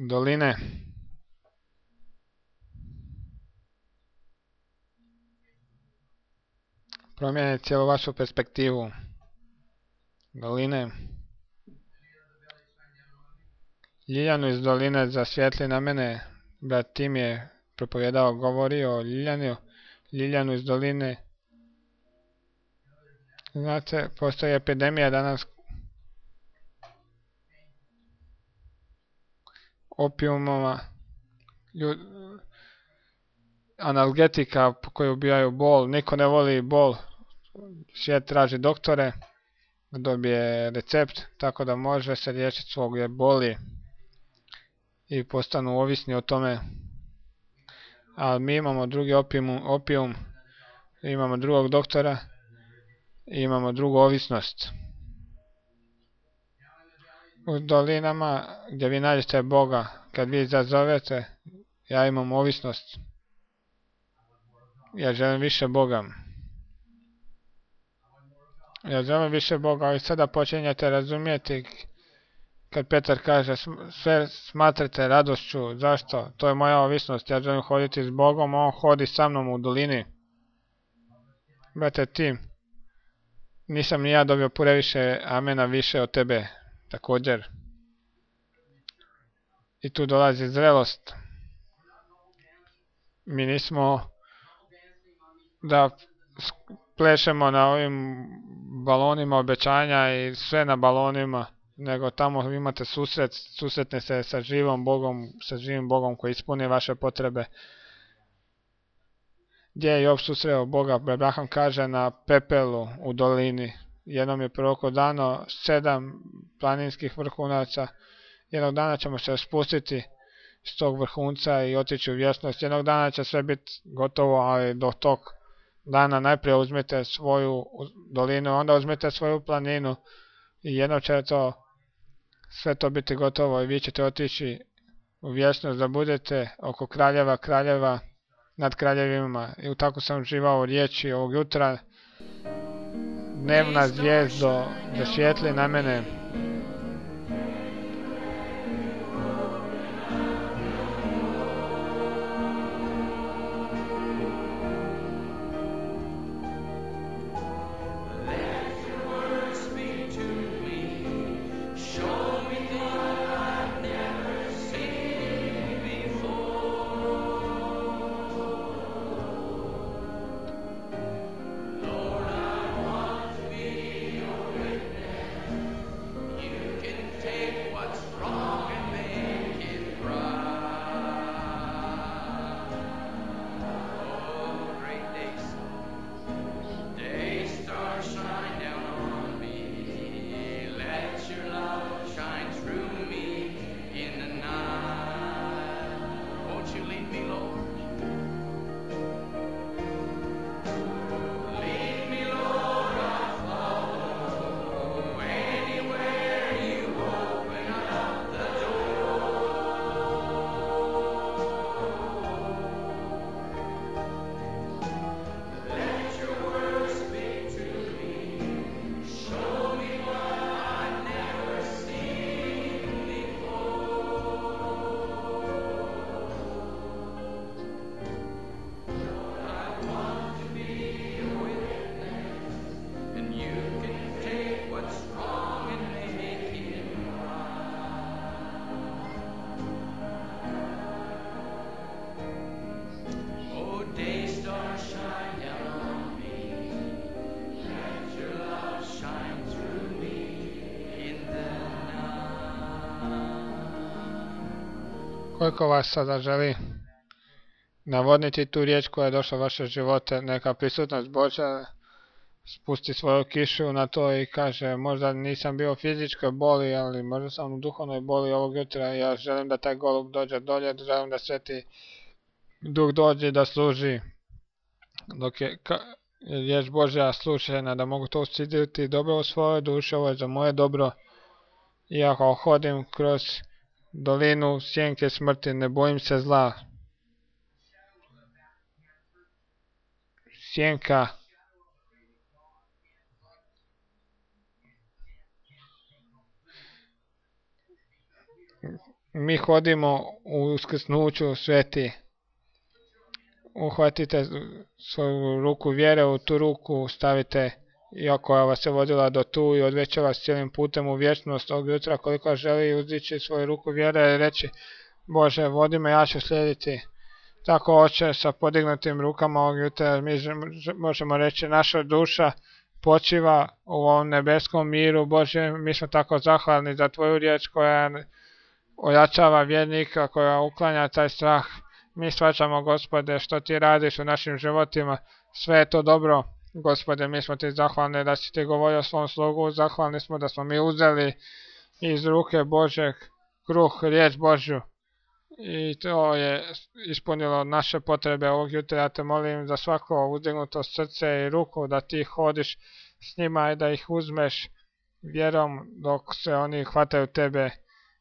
Doline. Promijeni cijelu vašu perspektivu. Doline. Ljiljanu iz doline zasvijetli na mene. Brat Tim je propovijedao, govorio o Ljiljanu iz doline. Znate, postoji epidemija danas opijumova, analgetika koji ubijaju bol. Niko ne voli bol. Svijet traži doktore, dobije recept, tako da može se liječiti svog boli i postanu ovisni o tome. Ali mi imamo drugi opijum, imamo drugog doktora i imamo drugu ovisnost. U dolinama gdje vi nađete Boga, kad vi zazovete, ja imam ovisnost. Ja želim više Boga. Ja želim više Boga, ali sada počinjete razumjeti kad Petar kaže sve smatrate radošću. Zašto? To je moja ovisnost. Ja želim hoditi s Bogom, on hodi sa mnom u dolini. Brate Tim, nisam ni ja dobio previše amena više od tebe također. I tu dolazi zrelost. Mi nismo da plešemo na ovim balonima obećanja i sve na balonima, nego tamo imate susretne se sa živim Bogom koji ispuni vaše potrebe. gdje je Job susreo Boga. Abraham kaže na pepelu u dolini. Jednom je proroko dano 7 planinskih vrhunaca. Jednog dana ćemo se spustiti s tog vrhunca i otići u vječnost. Jednog dana će sve biti gotovo, ali do tog dana najprije uzmite svoju dolinu, onda uzmite svoju planinu i jednom će sve to biti gotovo i vi ćete otići u vječnost da budete oko kraljeva nad kraljevima. I tako sam uživao u riječi ovog jutra. Dnevna zvijezdo zasvijetli na mene. Koliko vas sada želi navodniti tu riječ koja je došla u vaše živote, neka prisutnost Božja spusti svoju kišu na to i kaže, možda nisam bio u fizičkoj boli, ali možda sam u duhovnoj boli ovog jutra. Ja želim da taj golub dođe dolje, želim da Sveti Duh dođe da služi, dok je riječ Božja slušena, da mogu to usiditi dobro u svojoj duši. Ovo je za moje dobro. I ako hodim kroz dolinu sjenke smrti, ne bojim se zla. Sjenka mi hodimo u uskrsnuću sveti. Uhvatite svoju ruku vjere, u tu ruku stavite, iako vas je vodila do tu i odveće vas cijelim putem u vječnost. Ovog jutra koliko želi uzdići svoju ruku vjere i reći, Bože, vodi me, ja ću slijediti. Tako, Oče, sa podignutim rukama ovog jutra mi možemo reći, naša duša počiva u ovom nebeskom miru. Bože, mi smo tako zahvalni za Tvoju riječ koja ojačava vjernika, koja uklanja taj strah. Mi shvaćamo, Gospode, što Ti radiš u našim životima. Sve je to dobro, Gospode, mi smo Ti zahvalni da si Ti govorio svom slugu. Zahvalni smo da smo mi uzeli iz ruke Božeg kruh, riječ Božju. I to je ispunilo naše potrebe ovog jutra. Ja te molim za svako uzdignuto srce i ruku da Ti hodiš s njima i da ih uzmeš vjerom dok se oni hvataju Tebe.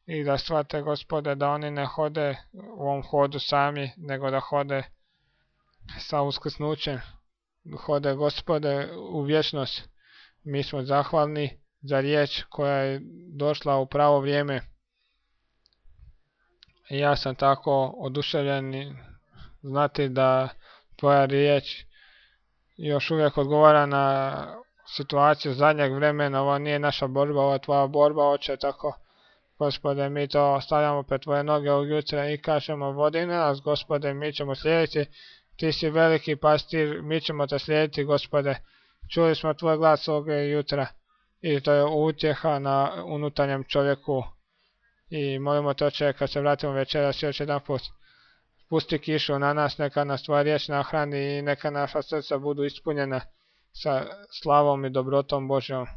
I da shvate, Gospode, da oni ne hode u ovom hodu sami, nego da hode sa uskrsnućem. Hode, Gospode, u vječnost. Mi smo zahvalni za riječ koja je došla u pravo vrijeme. I ja sam tako oduševljen znati da Tvoja riječ još uvijek odgovara na situaciju zadnjeg vremena. Ovo nije naša borba, ovo je Tvoja borba, Oče, tako. Gospode, mi to stavljamo pred Tvoje noge ovog jutra i kažemo, vodi nas, Gospode, mi ćemo slijediti. Ti si veliki pastir, mi ćemo Te slijediti, Gospode. Čuli smo Tvoj glas ovog jutra i to je utjeha na unutarnjem čovjeku. I molimo Te, Oče, kad se vratimo večeras još jedan put, spusti kišu na nas, neka nas tvoja riječ nahrani i neka naša srca budu ispunjena sa slavom i dobrotom Božjom.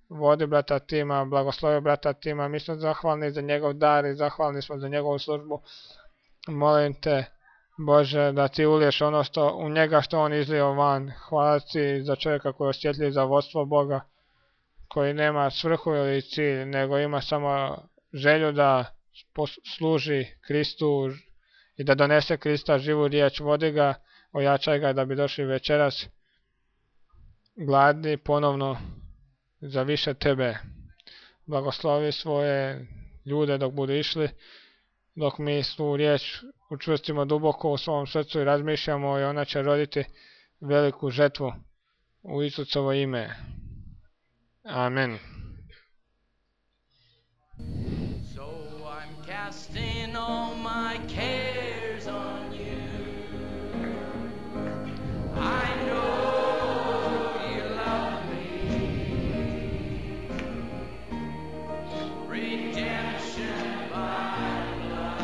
Vodi brata Tima, blagoslovi brata Tima, mi smo zahvalni za njegov dar i zahvalni smo za njegovu službu. Molim te, Bože, da ti uliješ ono što u njega što on izlio van. Hvala ti za čovjeka koji je osjetljiv za vodstvo Boga, koji nema svrhu ili cilj, nego ima samo želju da služi Kristu i da donese Krista živu riječ. Vodi ga, ojačaj ga da bi došli večeras gladni ponovno za više tebe. Blagoslovi svoje ljude dok budu išli, dok mi tu riječ učvrstimo duboko u svom srcu i razmišljamo, i ona će roditi veliku žetvu u Isusovo ime. Amen. So I'm casting all my cares on you. I know you love me. Redemption by love,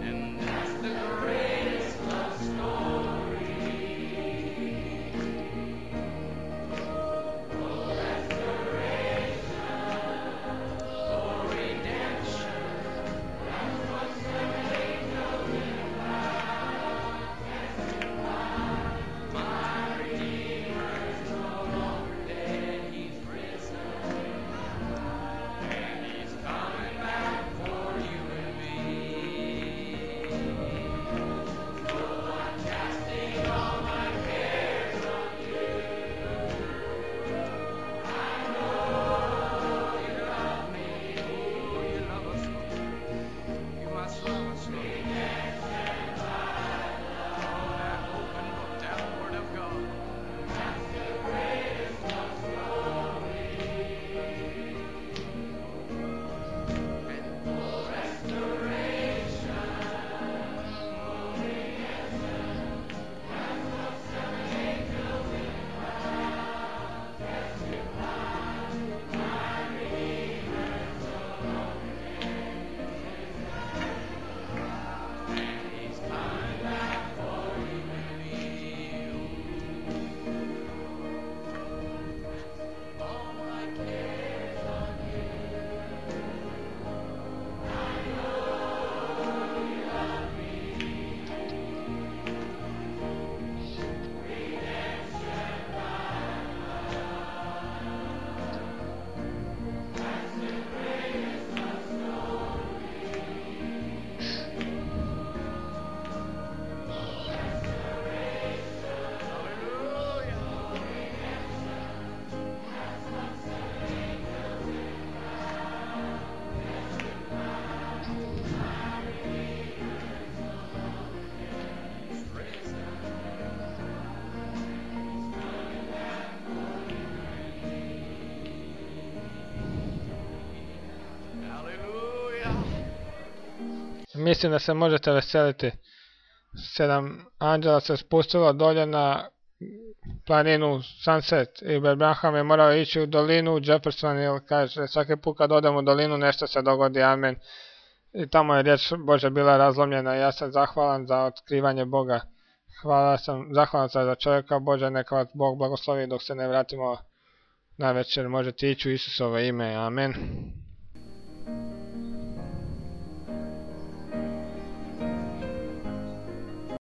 and that's the greatest love story. Mislim da se možete veseliti. 7 anđela se spustilo dolje na planinu Sunset i Brad Branham je morao ići u dolinu Jefferson, jer kaže svaki put kad odem u dolinu nešto se dogodi, amen. I tamo je riječ Božja bila razlomljena. Ja sam zahvalan za otkrivanje Boga. Zahvalan sam za čovjeka Božja, neka vas Bog blagoslovi dok se ne vratimo na večer. Možete ići u Isusovo ime, amen.